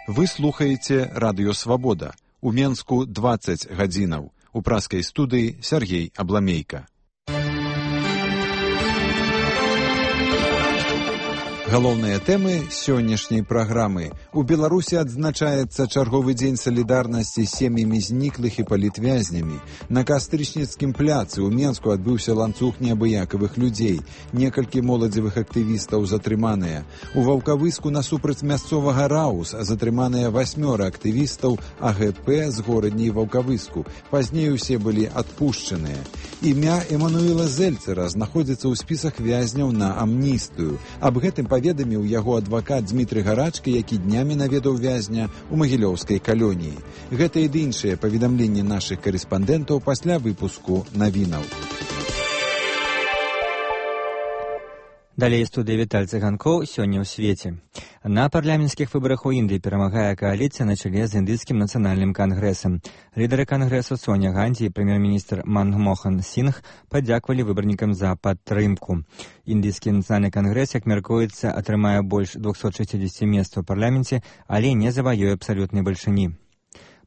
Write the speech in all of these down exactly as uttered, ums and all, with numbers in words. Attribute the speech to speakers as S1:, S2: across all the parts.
S1: Вы слухаеце радыё «Свабода». У Менску дваццаць гадзінаў. У праскай студыі Сергей Абламейка. Галоўныя тэмы сённяшняй праграмы. У Беларусі адзначаецца чарговы дзень салідарнасці з сем'ямі зніклых і палітвязнямі. На Кастрычніцкім пляцы ў Менску адбыўся ланцуг неабыякавых людзей. Некалькі моладзевых актывістаў затрыманыя. У Ваўкавыску насупраць мясцовага раус затрыманыя васьмёра актывістаў А Г П з горадняй Ваўкавыску. Пазней усе былі адпушчаныя. Імя Эмануэла Зельцера знаходзіцца ў спісах вязняў на амністыю. Аб гэтым паведаміў яго адвакат Дмітрый Гарачка, які днямі наведаў вязня ў магілёўскай калоніі. Гэта і іншыя паведамленні нашых карэспандэнтаў пасля выпуску навінаў.
S2: Далей студыя Віталь Цыганкоў сёння ў свеце. На парламенцкіх выбарах у Індыі перамагае кааліцыя на чале з індыйскім нацыянальным кангрэсам. Лідары кангрэсу Соня Ганді і прэм'ер-міністр Манмохан Сінг падзякавалі выбарнікам за падтрымку. Індыйскі нацыянальны кангрэс, як мяркуецца, атрымае больш двухсот шэсцідзесяці месцаў у парламенце, але не заваёе абсалютнай бальшыні.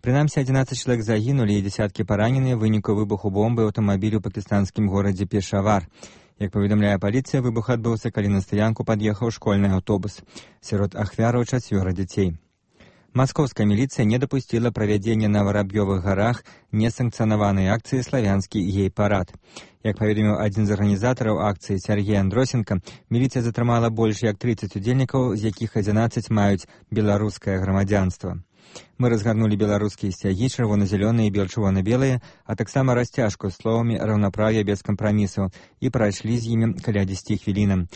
S2: Прынамсі, адзінаццаць чалавек загінулі і дзесяткі параненыя ў выніку выбуху бомбы ў аўтамабілі ў пакістанскім горадзе Пешавар. Як паведамляе паліцыя, выбух адбыўся, калі на стаянку пад'ехаў школьны аўтобус. Сярод ахвяраў чацвёра дзяцей. Маскоўская міліцыя не дапусціла правядзення на Вараб'ёвых гарах несанкцыянаванай акцыі «Славянскі гей-парад». Як паведаміў адзін з арганізатараў акцыі Сергей Андросенко, міліцыя затрымала больш як трыццаць удзельнікаў, з якіх адзінаццаць маюць беларускае грамадзянства. Мы разгарнулі беларускія сцягі, чырвона-зялёныя і бел-чырвона-белыя, а таксама расцяжку з словамі раўнапраўя без кампрамісаў і прайшлі з імі каля дзесяці хвілінам.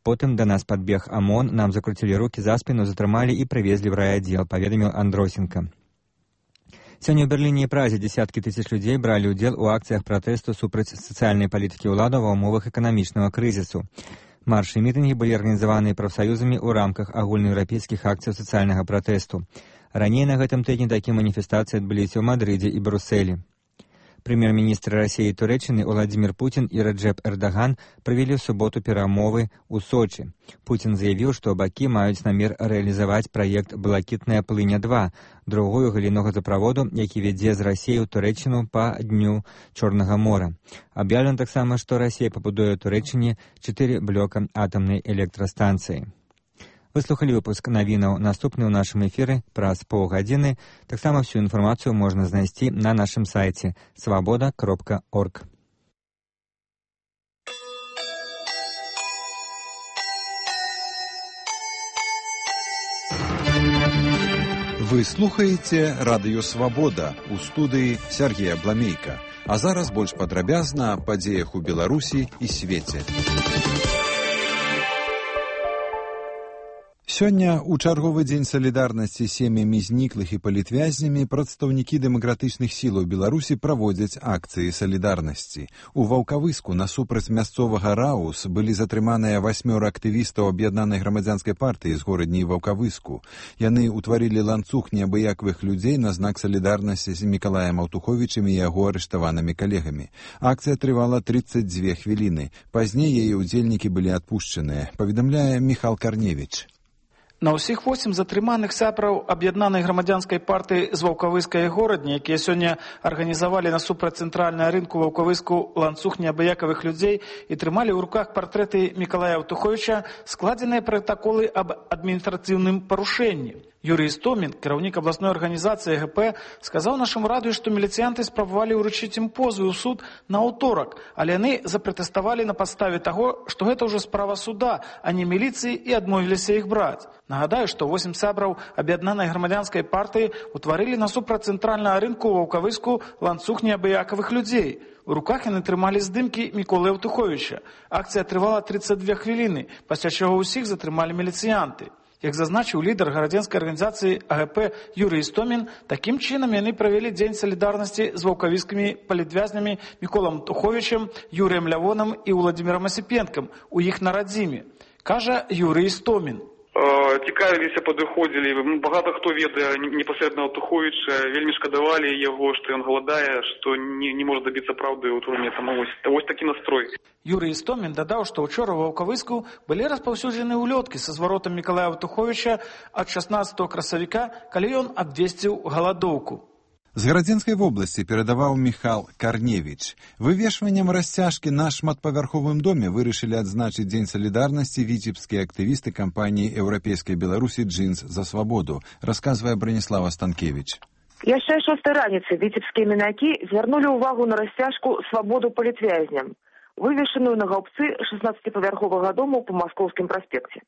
S2: Потым да нас падбег ОМОН, нам закруцілі рукі за спіну, затрымалі і прывезлі ў райаддзел, паведаміў Андросенко. Сёння ў Берліне і Празе дзесяткі тысяч людзей бралі ўдзел у акцыях пратэсту супраць сацыяльнай палітыкі ўладаў ва ўмовах эканамічнага крызісу. Маршы і мітынгі былі арганізаваныя прафсаюзамі ў рамках агульнаеўрапейскіх акцый сацыяльнага пратэсту. Раней на гэтым тыдні такія маніфестацыі адбыліся ў Мадрыдзе і Брусэлі. Прэм'ер-міністры Расіі і Турэччыны Уладзімір Пуцін і Раджэп Эрдаган правялі ў суботу перамовы ў Сочы. Пуцін заявіў, што бакі маюць намер рэалізаваць праект «Блакітная плыня-два», другую галіну газаправоду, які вядзе з Расіі ў Турэччыну па дню Чорнага мора. Аб'яўлена таксама, што Расія пабудуе ў Турэччыне чатыры блока атамнай электрастанцыі. Вы слухалі выпуск навінаў. Наступны ў нашым эфіры праз паўгадзіны. Таксама всю інфармацыю можна знайсці на нашым сайце свабода кропка орг.
S1: Вы слухаеце радыё «Свабода» у студыі Сергея Абламейка. А зараз больш падрабязна аб падзеях у Беларусі і свеце. Сёння, у чарговы дзень салідарнасці з сем'ямі зніклых і палітвязнямі, прадстаўнікі дэмакратычных сілаў Беларусі праводзяць акцыі салідарнасці. У Ваўкавыску насупраць мясцовага раус былі затрыманыя васьмёра актывістаў аб'яднанай грамадзянскай партыі з горадняй Ваўкавыску. Яны ўтварылі ланцуг неабыякавых людзей на знак салідарнасці з Мікалаем Аўтуховічам і яго арыштаванымі калегамі. Акцыя трывала трыццаць дзве хвіліны. Пазней яе ўдзельнікі былі адпушчаныя, паведамляе Міхал Карневіч.
S3: На ўсіх восем затрыманых сябраў аб'яднанай грамадзянскай партыі з Ваўкавыскай горадні, якія сёння арганізавалі насупраць цэнтральнага рынку Ваўкавыску ланцуг неабыякавых людзей і трымалі ў руках партрэты Мікалая Аўтуховіча, складзеныя пратаколы аб адміністрацыйным парушэнні. Юрый Істомін, кіраўнік абласной арганізацыі Г П, сказаў нашаму радыё, што міліцыянты спрабавалі ўручыць ім позвы ў суд на аўторак, але яны запратэставалі на падставе таго, што гэта ўжо справа суда, а не міліцыі, і адмовіліся іх браць. Нагадаю, што восем сябраў аб'яднанай грамадзянскай партыі ўтварылі насупраць цэнтральнага рынку ў Ваўкавыску ланцуг неабыякавых людзей. У руках яны трымалі здымкі Міколы Аўтуховіча. Акцыя трывала трыццаць дзве хвіліны, пасля чаго ўсіх затрымалі міліцыянты. Як зазначыў лідар гарадзенскай арганізацыі А Г П Юрый Істомін, такім чынам яны правялі дзень салідарнасці з ваўкавіскімі палітвязнямі Міколам Аўтуховічам, Юрыем Лявонам і Уладзімірам Асіпенкам у іх на радзіме. Кажа Юрый Істомін.
S4: Цікавіліся, падыходзілі. Багата хто ведае непасрэдна Аўтуховіча, вельмі шкадавалі яго, што ён галадае, што не, не можа дабіцца праўды ў турме. Таму вось, вось такі настрой.
S3: Юрый Істомін дадаў, што ўчора ў Ваўкавыску былі распаўсюджаны ўлёткі са зваротам Мікалая Аўтуховіча ад шаснаццатага красавіка, калі ён абвесціў галадоўку.
S1: З Гарадзенскай вобласці перадаваў Міхал Карневіч. Вывешваннем расцяжкі на шматпавярховым доме вырашылі адзначыць Дзень салідарнасці віцебскія актывісты кампаніі еўрапейскай Беларусі «Джинс за свабоду», расказвае Браніслава Станкевіч.
S5: Яшчэ шостай раніцы віцебскія мінакі звярнулі ўвагу на расцяжку «Свабоду палітвязням», вывешаную на гаўбцы шаснаццаціпавярховага дому па Маскоўскім праспекце.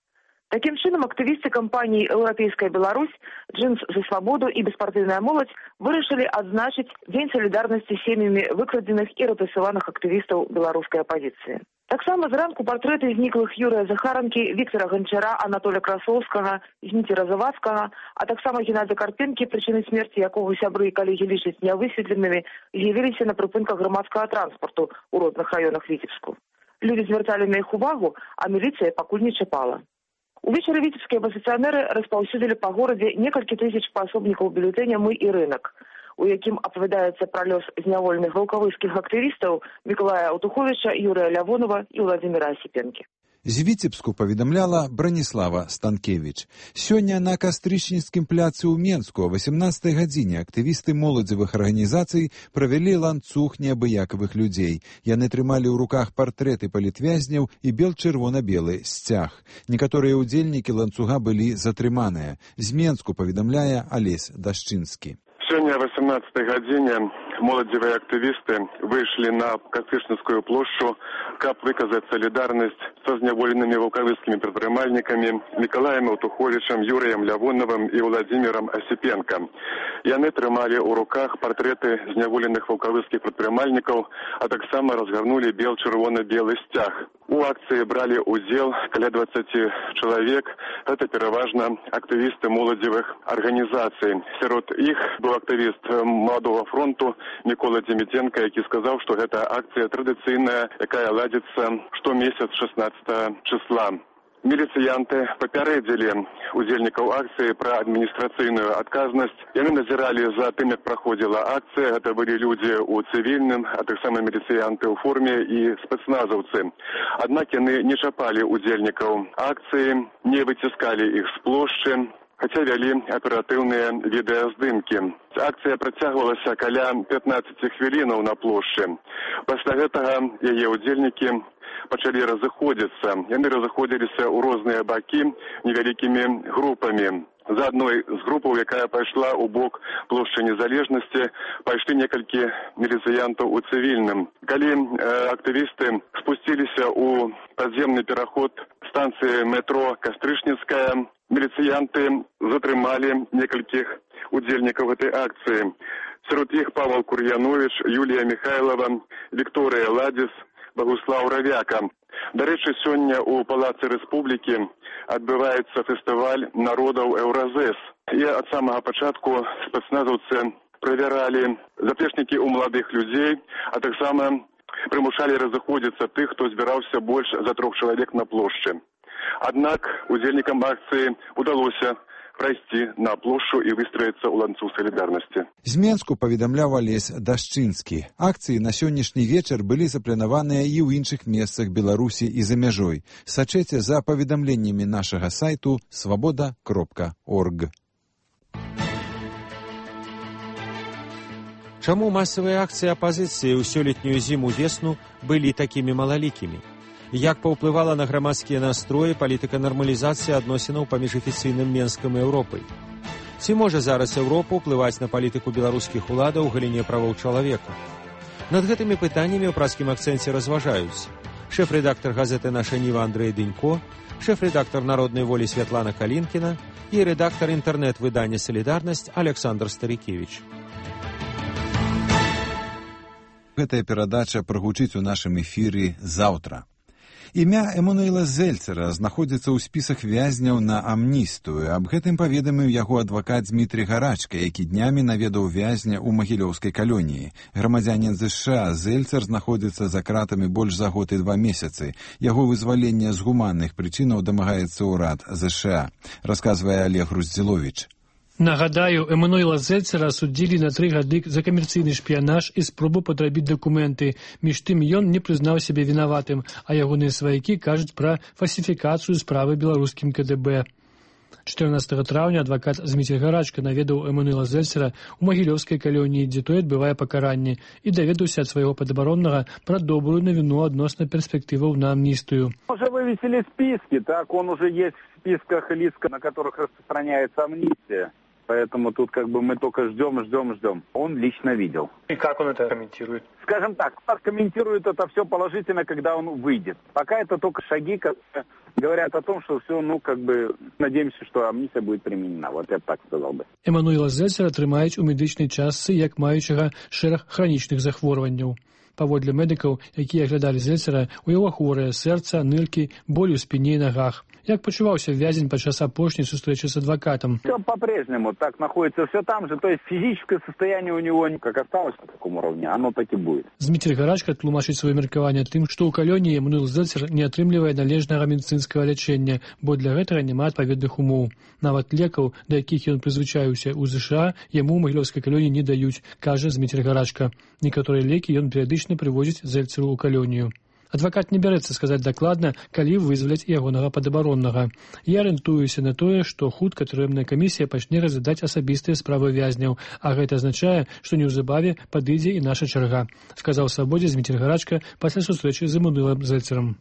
S5: Такім чынам, актывісты кампаніі «Еўрапейская Беларусь», «Джинс за свабоду» і «Беспартыйная моладзь» вырашылі адзначыць Дзень салідарнасці сем'ямі выкрадзеных і рэпрэсаваных актывістаў беларускай апазіцыі. Таксама зранку партрэты зніклых Юрыя Захаранкі, Віктара Ганчара, Анатолія Красоўскага, Зміцера Завадскага, а таксама Геннадзя Карпенкі, прычыны смерці якога сябры і калегі лічаць нявысветленымі, з'явіліся на прыпынках грамадскага транспарту ў розных раёнах Віцебску. Людзі звярталі на іх увагу, а міліцыя пакуль не чапала. Увечары віцебскія апазіцыянеры распаўсюдзілі па горадзе некалькі тысяч паасобнікаў бюлетэня «Мы і рынак», у якім апавядаецца пра лёс зняволеных ваўкавыскіх актывістаў Мікалая Аўтуховіча, Юрыя Лявонова і Владзіміра Асіпенкі.
S1: З Віцебску паведамляла Браніслава Станкевіч. Сёння на Кастрычніцкім пляцы ў Менску о васямнаццатай гадзіне актывісты моладзевых арганізацый правялі ланцуг неабыякавых людзей. Яны трымалі ў руках партрэты палітвязняў і бел-чырвона-белы сцяг. Некаторыя ўдзельнікі ланцуга былі затрыманыя. З Менску паведамляе Алесь Дашчынскі.
S6: Сёння о васямнаццатай гадзіне моладзевыя актывісты выйшлі на Кастрычніцкую плошчу, каб выказаць салідарнасць са зняволенымі ваўкавыскімі прадпрымальнікамі Мікалаем Аўтуховічам, Юрыем Лявоновым і Владзімірам Асіпенка. Яны трымалі ў руках партрэты зняволеных ваўкавыскіх прадпрымальнікаў, а таксама разгарнулі бел-чырвона-белы сцяг. У акцыі бралі ўдзел каля дваццаці чалавек. Гэта пераважна актывісты моладзевых арганізацый. Сярод іх быў актывіст Маладога фронту Мікола Дземідзенка, які сказаў, што гэта акцыя традыцыйная, якая ладзіцца штомесяц шаснаццатага числа. Міліцыянты папярэдзілі удзельнікаў акцыі пра адміністрацыйную адказнасць. Яны назіралі за тым, як праходзіла акцыя. Гэта былі людзі ў цывільным, а таксама міліцыянты ў форме і спецназаўцы. Аднак яны не чапалі удзельнікаў акцыі, не выціскалі іх з плошчы, хаця вялі аператыўныя відэаздымкі. Акцыя працягвалася каля пятнаццаці хвілінаў на плошчы. Пасля гэтага яе удзельнікі пачалі разыходзіцца. Яны разыходзіліся ў розныя бакі невялікімі групамі. За адной з групаў, якая пайшла ў бок плошчы Незалежнасці, пайшлі некалькі міліцыянтаў у цывільным. Калі э, актывісты спусціліся ў падземны пераход станцыі метро Кастрычніцкая, міліцыянты затрымалі некалькіх удзельнікаў гэтай акцыі. Сярод іх Павел Кур'янович, Юлія Михайлова, Вікторыя Ладзіс, Багуслаў Равяка. Дарэчы, сёння ў Палацы Рэспублікі адбываецца фестываль народаў Еўразэс. І ад самага пачатку спецназаўцы правяралі заплечнікі ў маладых людзей, а таксама прымушалі разыходзіцца тых, хто збіраўся больш за трох чалавек на плошчы. Аднак удзельнікам акцыі удалося прайсці на плошчу і выстроіцца ў ланцуг салідарнасці.
S1: З Менску паведамляў Алесь Дашчынскі. Акцыі на сённяшні вечар былі запланаваныя і ў іншых месцах Беларусі і за мяжой. Сачэце за паведамленнямі нашага сайту свабода кропка орг.
S7: Чаму масавыя акцыі апазіцыі ў сёлетнюю зіму-весну былі такімі малалікімі? Як паўплывала на грамадскія настроі палітыка нармалізацыі адносінаў паміж афіцыйным Менскам і Еўропай? Ці можа зараз Еўропа ўплываць на палітыку беларускіх уладаў у галіне правоў чалавека? Над гэтымі пытаннямі ў празкім акцэнце разважаюць шэф-рэдактар газеты «Наша Ніва» Андрэй Дынько, шэф-рэдактар «Народнай волі» Святлана Калінкіна і рэдактар інтэрнэт-выдання «Салідарнасць» Александр Старыкевіч.
S1: Гэтая перадача прагучыць у нашым эфіры заўтра. Імя Эмануэла Зельцера знаходзіцца ў спісах вязняў на амністыю. Аб гэтым паведаміў яго адвакат Дмітрий Гарачка, які днямі наведаў вязня ў магілёўскай калоніі. Грамадзянін ЗША Зельцер знаходзіцца за кратамі больш за год і два месяцы. Яго вызвалення з гуманных прычынаў дамагаецца ўрад ЗША, расказвае Олег Груздзіловіч.
S8: Нагадаю, Эмануэла Зельцера судзілі на тры гады за камерцыйны шпіянаж і спробу падрабіць дакументы. Між тым ён не прызнаў сябе вінаватым, а ягоныя сваякі кажуць пра фальсіфікацыю справы беларускім КДБ. чатырнаццатага траўня адвакат Дмітрий Гарачка наведаў Эмануэла Зельцера ў магілёўскай калоніі, дзе той адбывае пакаранне, і даведаўся ад свайго падабароннага пра добрую навіну адносна перспектываў на амністыю.
S9: Уже вывесили списки, так, он уже есть в списках лиц, на которых распространяется амнистия. Поэтому тут как бы мы только ждем, ждем, ждем. Он лично видел.
S10: И как он это комментирует?
S9: Скажем так, комментирует это все положительно, когда он выйдет. Пока это только шаги, которые говорят о том, что все, ну, как бы, надеемся, что амнистия будет применена. Вот я так сказал бы.
S8: Эмануэла Зельцера трымаюць у медычнай частцы як маючага шэраг хранічных захворванняў. Паводле медыкаў, якія аглядалі Зельцера, у яго хворае сэрца, ныркі, боль у спіне і нагах. Як пачуваўся вязень падчас апошняй сустрэчы с адвокатом?
S9: Все по-прежнему так находится, все там же. То есть физическое состояние у него, как осталось на таком уровне, оно так и будет.
S8: Дмітрий Гарачка тлумачыць сваё меркаванне тым, што ў калоніі Эмануэл Зельцер не атрымлівае належнага медыцынскага лячэння, бо для гэтага няма адпаведных умоў. Нават лекаў, да якіх ён прызвычаіўся ў ЗША, яму ў магілёўскай калоніі не даюць, кажа Дмітрий Гарачка. Некаторыя лекі ён перыядычна прывозіць Зельцеру ў калонію. Адвакат не бярэцца сказаць дакладна, калі вызваляць ягонага падабароннага. Я арыентуюся на тое, што хутка турэмная камісія пачне разглядаць асабістыя справы вязняў, а гэта азначае, што неўзабаве падыдзе і наша чарга, сказаў Свабодзе Дмітрий Гарачка пасля сустрэчы з Эмануэлам Зельцерам.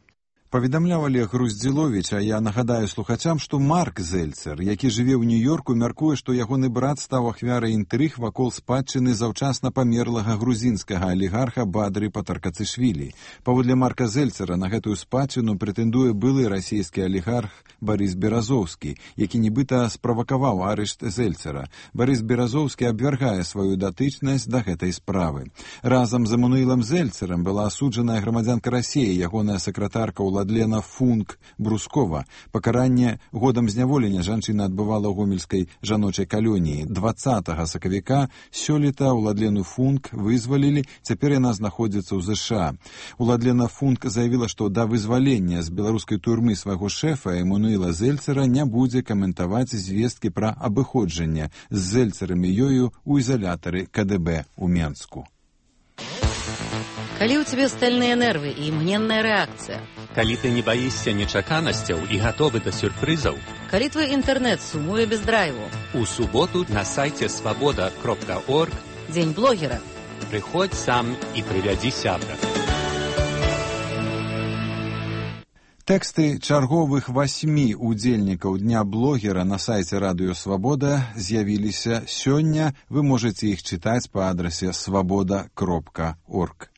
S1: Паведамляў Олег Груздзіловіч, а я нагадаю слухачам, што Марк Зельцер, які жыве ў Нью-Йорку, мяркуе, што ягоны брат стаў ахвярай інтрыг вакол спадчыны заўчасна памерлага грузінскага алігарха Бадры Патаркацышвілі. Паводле Марка Зельцера на гэтую спадчыну прэтэндуе былы расійскі алігарх Барыс Беразоўскі, які нібыта справакаваў арышт Зельцера. Барыс Беразоўскі абвяргае сваю датычнасць да гэтай справы. Разам з Эмануэлам Зельцерам была асуджаная грамадзянка Расіі, ягоная сакратарка Уладлена Функ Брускова. Пакаранне годам зняволення жанчына адбывала ў гомельскай жаночай калоніі. дваццатага сакавіка сёлета Уладлену Функ вызвалілі, цяпер яна знаходзіцца ў ЗША. Уладлена Функ заявіла, што да вызвалення з беларускай турмы свайго шэфа Эмануэла Зельцера не будзе каментаваць звесткі пра абыходжанне з Зельцерам і ёю ў ізалятары КДБ ў Менску.
S11: Калі ў цябе стальныя нервы і імгненная рэакцыя,
S12: калі ты не баішся нечаканасцяў і гатовы да сюрпрызаў,
S11: калі твой інтэрнэт сумуе без драйву,
S12: у суботу на сайце свабода кропка орг
S11: дзень блогера.
S12: Прыходзь сам і прывядзі сябра.
S1: Тэксты чарговых васьмі удзельнікаў Дня блогера на сайце Радыё Свабода з'явіліся сёння. Вы можаце іх чытаць па адрасе свабода кропка орг.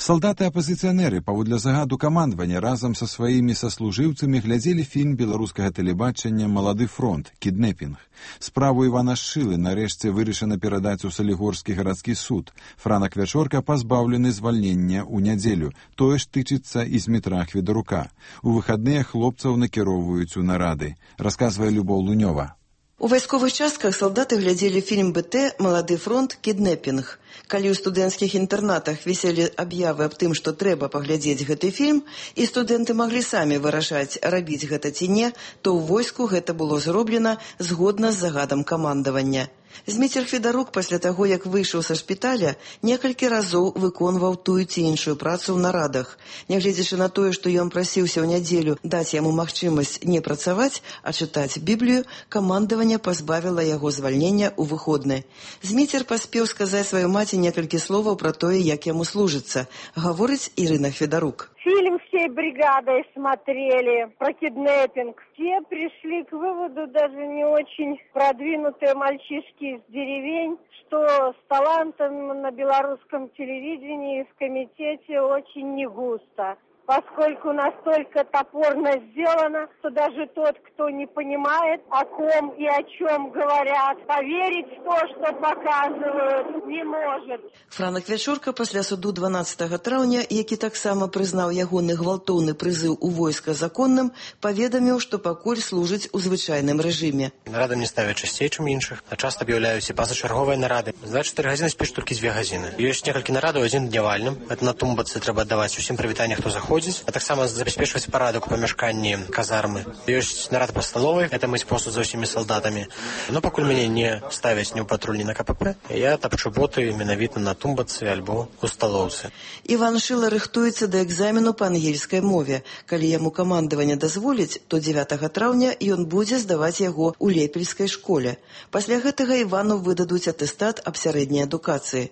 S1: Салдаты-апазіцыянеры паводле загаду камандавання разам са сваімі саслужыўцамі глядзелі фільм беларускага тэлебачання «Малады фронт. Кіднэпінг». Справу Івана Шылы нарэшце вырашана перадаць у Салігорскі гарадскі суд. Франак Вячорка пазбаўлены звальнення ў нядзелю. Тое ж тычыцца і Змітра Хведарука. У выхадныя хлопцаў накіроўваюць у нарады. Расказвае Любоў Лунёва.
S13: У вайсковых частках салдаты глядзелі фільм БТ «Малады фронт. Кіднэпінг». Калі ў студэнцкіх інтэрнатах віселі аб'явы аб тым, што трэба паглядзець гэты фільм, і студэнты маглі самі вырашаць, рабіць гэта ці не, то ў войску гэта было зроблена згодна з загадам камандавання. Зміцер Хведарук пасля таго, як выйшаў са шпіталя, некалькі разоў выконваў тую ці іншую працу ў нарадах. Нягледзячы на тое, што ён прасіўся ў нядзелю даць яму магчымасць не працаваць, а чытаць Біблію, камандаванне пазбавіла яго звальнення ў выходны. Зміцер паспеў сказаць сваёй маці некалькі словаў пра тое, як яму служыцца, гаворыць Ірына Хведарук.
S14: Фильм всей бригадой смотрели про киднеппинг. Все пришли к выводу, даже не очень продвинутые мальчишки из деревень, что с талантом на белорусском телевидении и в комитете очень не густо. поскольку настолько топорно сделано, что даже тот, кто не понимает, о ком и о чем говорят, поверить в то, что показывают, не может.
S13: Франак Вячорка пасля суду дванаццатага траўня, які таксама прызнаў ягоны гвалтоўны прызыў у войска законным, паведаміў, што пакуль служыць у звычайным рэжыме.
S10: Нарады мне ставят часцей, чым іншых, а часто аб'яўляюць і пазачарговыя нарады. За чатыры гадзіны спіш толькі дзве гадзіны. Ёсць некалькі нарадаў, адзін днявальным. Это на тумбацы трэба аддаваць усім прывітанне, хто заходзіць, а таксама забяспечваць парадак у памяшканні казармы. Ёсць нарад па сталовай, это мыць посуд за ўсімі салдатамі. Но пакуль мяне не ставяць ні ў патруль, ні на КПП, я тапчу боты менавіта на тумбацы альбо у сталоўцы.
S13: Іван Шыла рыхтуецца да экзамену па ангельскай мове. Калі яму камандаванне дазволіць, то дзевятага траўня ён будзе здаваць яго ў лепельскай школе. Пасля гэтага Івану выдадуць атэстат аб сярэдняй адукацыі.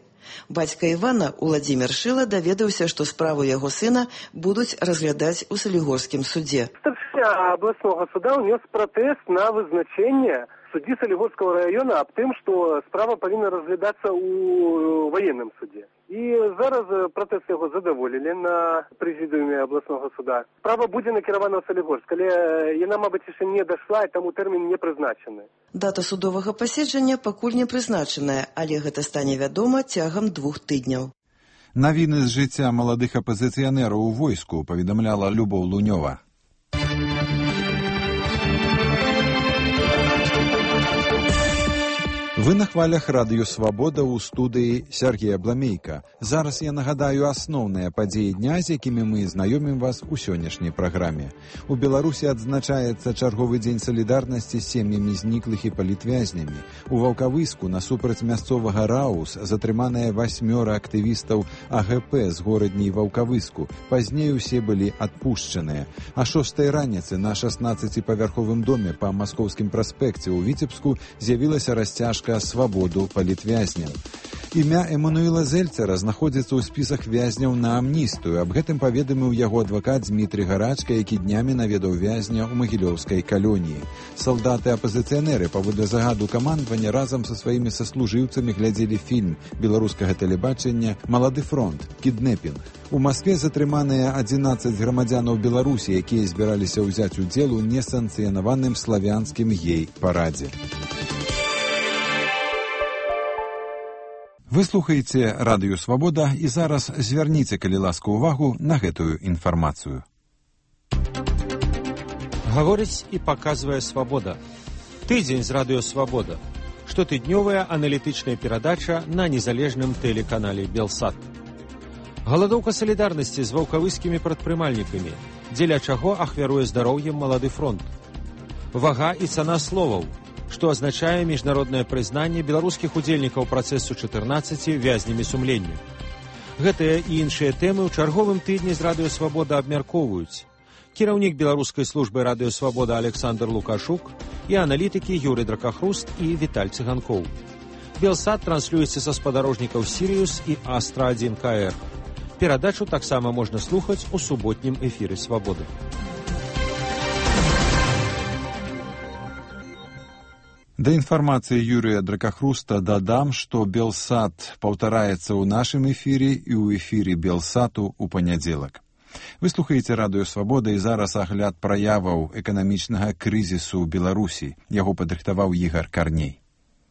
S13: Бацька Івана, Уладзімір Шыла, даведаўся, што справу яго сына будуць разглядаць у Салігорскім судзе.
S15: Старшыня абласнога суда ўнёс пратэст на вызначэнне суддзі Салігорскага раёна аб тым, што справа павінна разглядацца ў ваенным судзе. І зараз пратэст яго задаволілі на прэзідыуме абласнога суда. Справа будзе накіравана ў Салігорск, але яна, мабыць, яшчэ не дайшла, і таму тэрмін не прызначаны.
S13: Дата судовага паседжання пакуль не прызначаная, але гэта стане вядома цягам двух тыдняў.
S1: Навіны з жыцця маладых апазіцыянераў у войску паведамляла Любоў Лунёва. Вы на хвалях радыё «Свабода» ў студыі Сергея Бламейка. Зараз я нагадаю асноўныя падзеі дня, з якімі мы знаёмім вас у сённяшняй праграме. У Беларусі адзначаецца чарговы дзень салідарнасці з сем'ямі зніклых і палітвязнямі. У Ваўкавыску насупраць мясцовага РАУС затрыманыя васьмёра актывістаў АГП з горадні Ваўкавыску. Пазней усе былі адпушчаныя. А шостай раніцы на шаснаццаціпавярховым доме па Маскоўскім праспекце ў Віцебску з'явілася расцяжка «Свободу палітвязням». Імя Эмануэла Зельцера знаходзіцца ў спісах вязняў на амністыю. Аб гэтым паведаміў яго адвакат Дмітрий Гарачка, які днямі наведаў вязня ў магілёўскай калоніі. Салдаты-апазіцыянеры паводле загаду камандавання разам са сваімі саслужыўцамі глядзелі фільм беларускага тэлебачання «Малады фронт. Кіднепінг». У Маскве затрыманыя адзінаццаць грамадзянаў Беларусі, якія збіраліся ўзяць удзел у несанкцыянаваным славянскім гей-парадзе. Вы слухаеце радыё «Свабода» і зараз звярніце, калі ласка, увагу на гэтую інфармацыю.
S7: Гаворыць і паказвае «Свабода». Тыдзень з радыё «Свабода». Штотыднёвая аналітычная перадача на незалежным тэлеканале «Белсат». Галадоўка салідарнасці з ваўкавыскімі прадпрымальнікамі, дзеля чаго ахвяруе здароўем «Малады фронт». Вага і цана словаў, што азначае міжнароднае прызнанне беларускіх удзельнікаў працэсу чатырнаццаці вязнямі сумлення. Гэтыя і іншыя тэмы ў чарговым тыдні з радыё «Свабода» абмяркоўваюць кіраўнік беларускай службы радыё «Свабода» Александр Лукашук і аналітыкі Юрый Дракахруст і Віталь Цыганкоў. Белсат транслюецца са спадарожнікаў «Сірыус» і «Астра адзін ка эр». Перадачу таксама можна слухаць у суботнім эфіры «Свабоды».
S1: Да інфармацыі Юрыя Дракахруста дадам, што Белсат паўтараецца ў нашым эфіры і ў эфіры Белсату ў панядзелак. Вы слухаеце радыё «Свабода» і зараз агляд праяваў эканамічнага крызісу ў Беларусі. Яго падрыхтаваў Ігар Карней.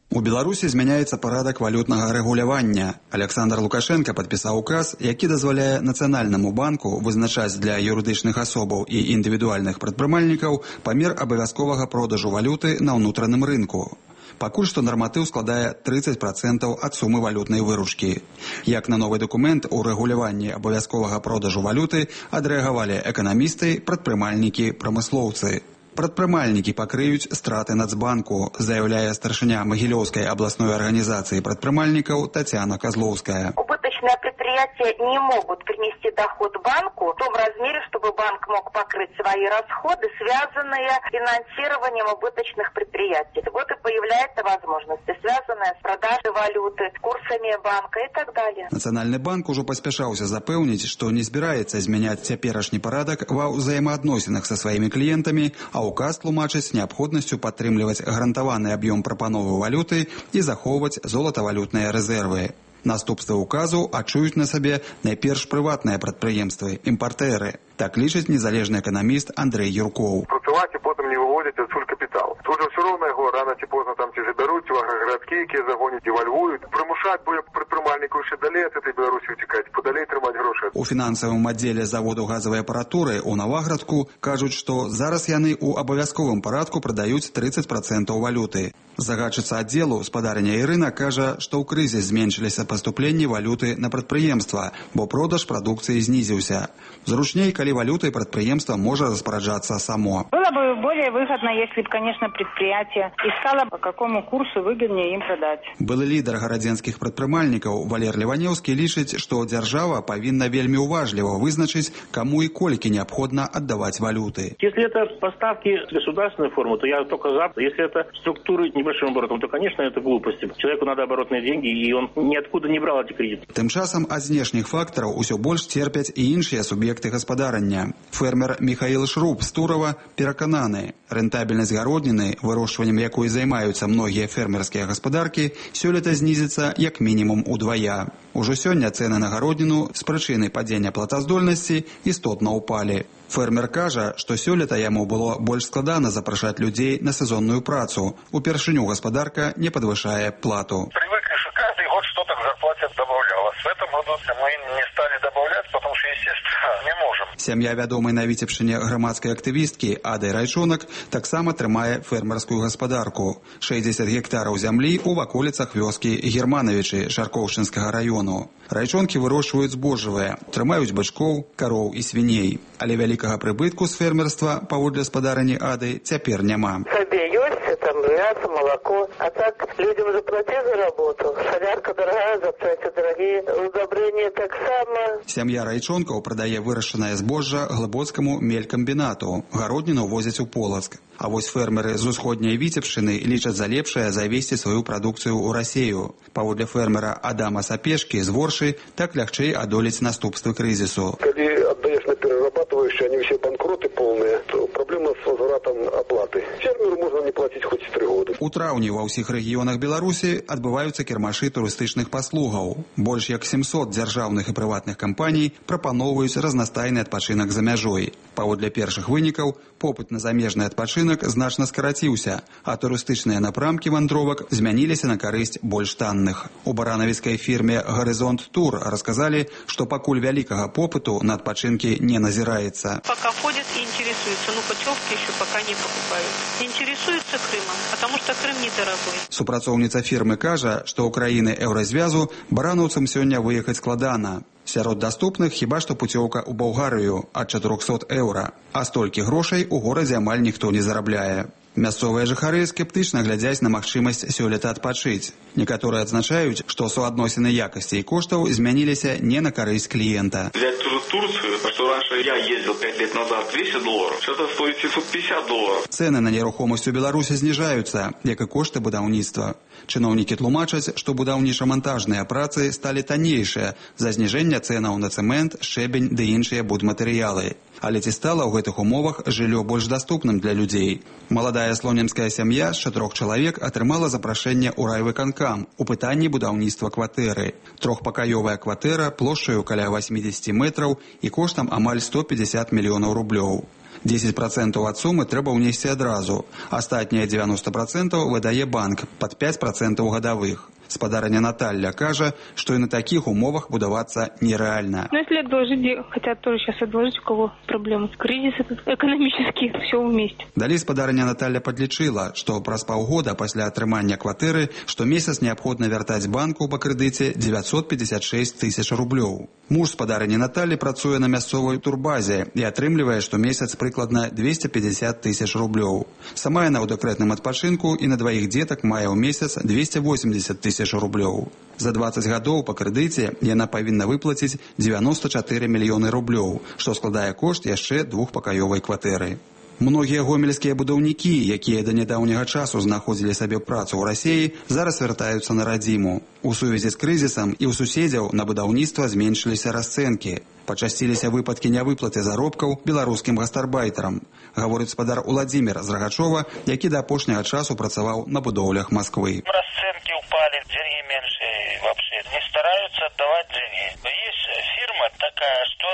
S16: У Беларусі змяняецца парадак валютнага рэгулявання. Александр Лукашенко падпісаў указ, які дазваляе Нацыянальнаму банку вызначаць для юрыдычных асобаў і індывідуальных прадпрымальнікаў памер абавязковага продажу валюты на ўнутраным рынку. Пакуль што нарматыў складае трыццаць працэнтаў ад сумы валютнай выручкі. Як на новы дакумент у рэгуляванні абавязковага продажу валюты адрэагавалі эканамісты, прадпрымальнікі, прамыслоўцы. Прадпрымальнікі пакрыюць страты Нацбанку, заяўляе старшыня Магілёўскай абласной арганізацыі прадпрымальнікаў Татьяна Козловская.
S17: Убыточные предприятия не могут принести доход банку в том размере, чтобы банк мог покрыть свои расходы, связанные с финансированием убыточных предприятий. Вот и появляется возможность, связанная с продажей валюты, курсами банка и так далее.
S16: Нацыянальны банк ужо паспяшаўся запэўніць, што не збіраецца змяняць цяперашні парадак ва ўзаемаадносінах са сваімі кліентамі, а указ тлумачыць неабходнасцю падтрымліваць гарантаваны аб'ём прапановы валюты і захоўваць золатавалютныя рэзервы. Наступствы указу адчуюць на сабе найперш прыватныя прадпрыемствы, імпартэры. Так лічыць незалежны эканаміст Андрэй Юркоў.
S6: Працаваць і потым не выводзяць адсюль капітал. Тут же все роўна яго рана ці позна там ці забяруць, ці аграгарадкі, якія загоняць і вальвуюць. Прымушаць будзе прадпрымальнікаў яшчэ далей ад этой Беларусі уцікаць, падалей трымаць грошы.
S16: У фінансавым аддзеле заводу газавай апаратуры ў Наваградку кажуць, што зараз яны ў абавязковым парадку прадаюць трыццаць працэнтаў валюты. Загадчыца аддзелу спадарня Ірына кажа, што ў крызіс зменшыліся паступленні валюты на прадпрыемства, бо продаж прадукцыі знізіўся. Зручней, калі валютай прадпрыемства можа распараджацца само.
S18: Было бы более выгодно, если бы, конечно, предприятие искало, по какому курсу выгоднее им продать.
S16: Былы лідар гарадзенскіх прадпрымальнікаў Валер Леванёўскі лічыць, што дзяржава павінна вельмі уважліва вызначыць, каму і колькі неабходна аддаваць валюты.
S19: Если это поставки государственной формы, то я только за. Если это структуры небольшим оборотом, то, конечно, это глупости. Человеку надо оборотные деньги, и он ниоткуда не брал эти кредиты.
S16: Тым часам ад знешніх фактараў усё больш церпяць і іншыя суб'екты гаспадарання. Фермер Михаил Шруб з Турова перакананы, рэнтабельнасць гародніны, вырошчваннем якой займаюцца многія фермерскія гаспадаркі, сёлета знізіцца як мінімум удвая. Ужо сёння цэны на гародніну з прычыны падзення платаздольнасці істотна ўпалі. Фермер кажа, што сёлета яму было больш складана запрашаць людзей на сезонную працу. Упершыню гаспадарка не падвышае плату.
S20: Привыкли, что каждый год что-то к зарплате добавлялось. В этом году мы не стали добавлять, потому что, естественно, не можем.
S16: Сям'я вядомай на Віцебшчыне грамадскай актывісткі Ады Райчонак таксама трымае фермерскую гаспадарку. шэсцьдзесят гектараў зямлі ў ваколіцах вёскі Германовічы Шаркоўшчынскага раёну. Райчонкі вырошчваюць збожжавыя, трымаюць бычкоў, кароў і свіней. Але вялікага прыбытку з фермерства, паводле спадарні Ады, цяпер няма.
S21: Сабе ёсць, там мясо, молоко, а так людям заплатить за работу. Солярка дорогая, запчасти дорогие, удобрения так само.
S16: Сям'я Райчонкаў прадае вырашчанае збожжа глыбоцкаму мелькамбінату. Гародніну возяць у Полацк. А вось фермеры з усходняй Віцебшчыны лічаць за лепшае завесці сваю прадукцыю ў Расею. Паводле фермера Адама Сапешкі з Воршы, так лягчэй адолець наступствы крызісу.
S22: Калі аддаеш на перерабатывающие, они все банкроты полные, то проблема с возвратом оплаты. Фермеру можно не платить хоть три года.
S16: У траўні ва ўсіх рэгіёнах Беларусі адбываюцца кірмашы турыстычных паслугаў. Больш як сямсот дзяржаўных і прыватных кампаній прапаноўваюць разнастайны адпачынак за мяжой. Паводле першых вынікаў, попыт на замежны адпачынак значна скараціўся, а турыстычныя напрамкі вандровак змяніліся на карысць больш танных. У баранавіцкай фірме «Горизонт Тур» расказалі, што пакуль вялікага попыту на адпачынкі не назіраецца.
S23: Пока ходят и интересуются, но путевки еще пока не покупают. Интересуются Крымом, потому что Крым недорогой.
S16: Супрацоўніца фірмы кажа, што ў краіны еўразвязу баранаўцам сёння выехаць складана. Сярод даступных хіба што пуцёўка ў Балгарыю ад чатырохсот еўра, а столькі грошай у горадзе амаль ніхто не зарабляе. Мясцовыя жыхары скептычна глядзяць на магчымасць сёлета адпачыць. Некаторыя адзначаюць, што суадносіны якасці і коштаў змяніліся не на карысць кліента.
S4: Взять ту же Турцию, что раньше я ездил пять лет назад двести долларов, сейчас это стоит семьсот пятьдесят долларов.
S16: Цэны на нерухомасць у Беларусі зніжаюцца, як і кошты будаўніцтва. Чыноўнікі тлумачаць, што будаўніча-мантажныя працы сталі таннейшыя за зніжэнне цэнаў на цэмент, шэбень ды іншыя будматэрыялы. Але ці стала ў гэтых умовах жыллё больш даступным для людзей? Маладая слонімская сям'я з чатырох чалавек атрымала запрашэнне ў райвыканкам у пытанні будаўніцтва кватэры. Трохпакаёвая кватэра плошчаю каля восемьдесят метраў і коштам амаль сто пятьдесят мільёнаў рублёў. десять процентов ад сумы трэба ўнесці адразу. Астатнія девяносто процентов выдае банк пад пять процентов гадавых. Спадарня Наталья кажа, что и на таких умовах будавацца нереально.
S18: Но если отложить, хотят тоже сейчас отложить, у кого проблемы с кризисом экономический, все вместе.
S16: Далей спадарня Наталья подлічыла, што праз паўгода пасля атрымання кватэры штомесяц неабходна вяртаць банку па крэдыце девятьсот пятьдесят шесть тысяч рублёў. Муж спадарні Натальи працуе на мясцовай турбазе і атрымлівае штомесяц прыкладна двести пятьдесят тысяч рублёў. Сама яна ў дэкрэтным адпачынку і на дваіх дзетак мае ў месяц двести восемьдесят тысяч рублёў. За двадцать гадоў па крэдыце яна павінна выплаціць девяносто четыре мільёны рублёў, што складае кошт яшчэ двухпакаёвай кватэры. Многія гомельскія будаўнікі, якія да нядаўняга часу знаходзілі сабе працу ў Расеі, зараз вяртаюцца на радзіму. У сувязі з крызісам і ў суседзяў на будаўніцтва зменшыліся расцэнкі. Пачасціліся выпадкі нявыплаты заробкаў беларускім гастарбайтарам, гаворыць спадар Уладзімір з Рагачова, які да апошняга часу працаваў на будоўлях Масквы.
S20: Расцэнкі ўпалі, деньги меньше, вообще не стараюсь отдавать жене. Есть фирма такая, что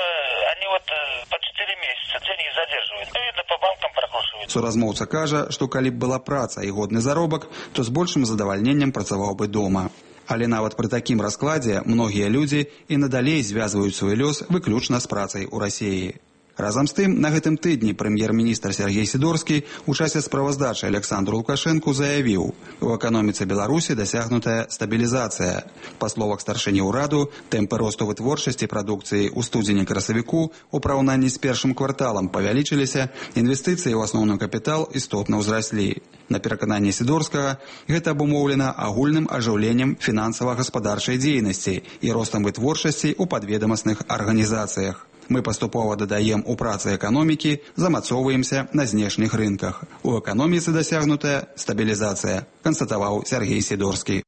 S20: они вот по четыре месяца деньги задерживают. Ну, видно, по банкам прокручивают.
S16: Суразмоўца кажа, што калі б была праца і годны заробак, то з большым задавальненнем працаваў бы дома. Але нават пры такім раскладзе многія людзі і надалей звязваюць свой лёс выключна з працай у Расіі. Разам з тым, на гэтым тыдні прэм'ер-міністр Сергей Сідорскі у часе справаздачы Александру Лукашэнку заявіў, у эканоміцы Беларусі дасягнутая стабілізацыя. Па словах старшыні ўраду, тэмпы росту вытворчасці прадукцыі ў студзені-красавіку у параўнанні з першым кварталам павялічыліся, інвестыцыі ў асноўны капітал істотна ўзраслі. На перакананні Сідорскага, гэта абумоўлена агульным ажыўленнем фінансава-гаспадарчай дзейнасці і ростам вытворчасці ў падведамасных арганізацыях. Мы паступова дадаем у працы эканомікі, замацоўваемся на знешніх рынках. У эканоміцы дасягнутая стабілізацыя, канстатаваў Сергей Сідорскі.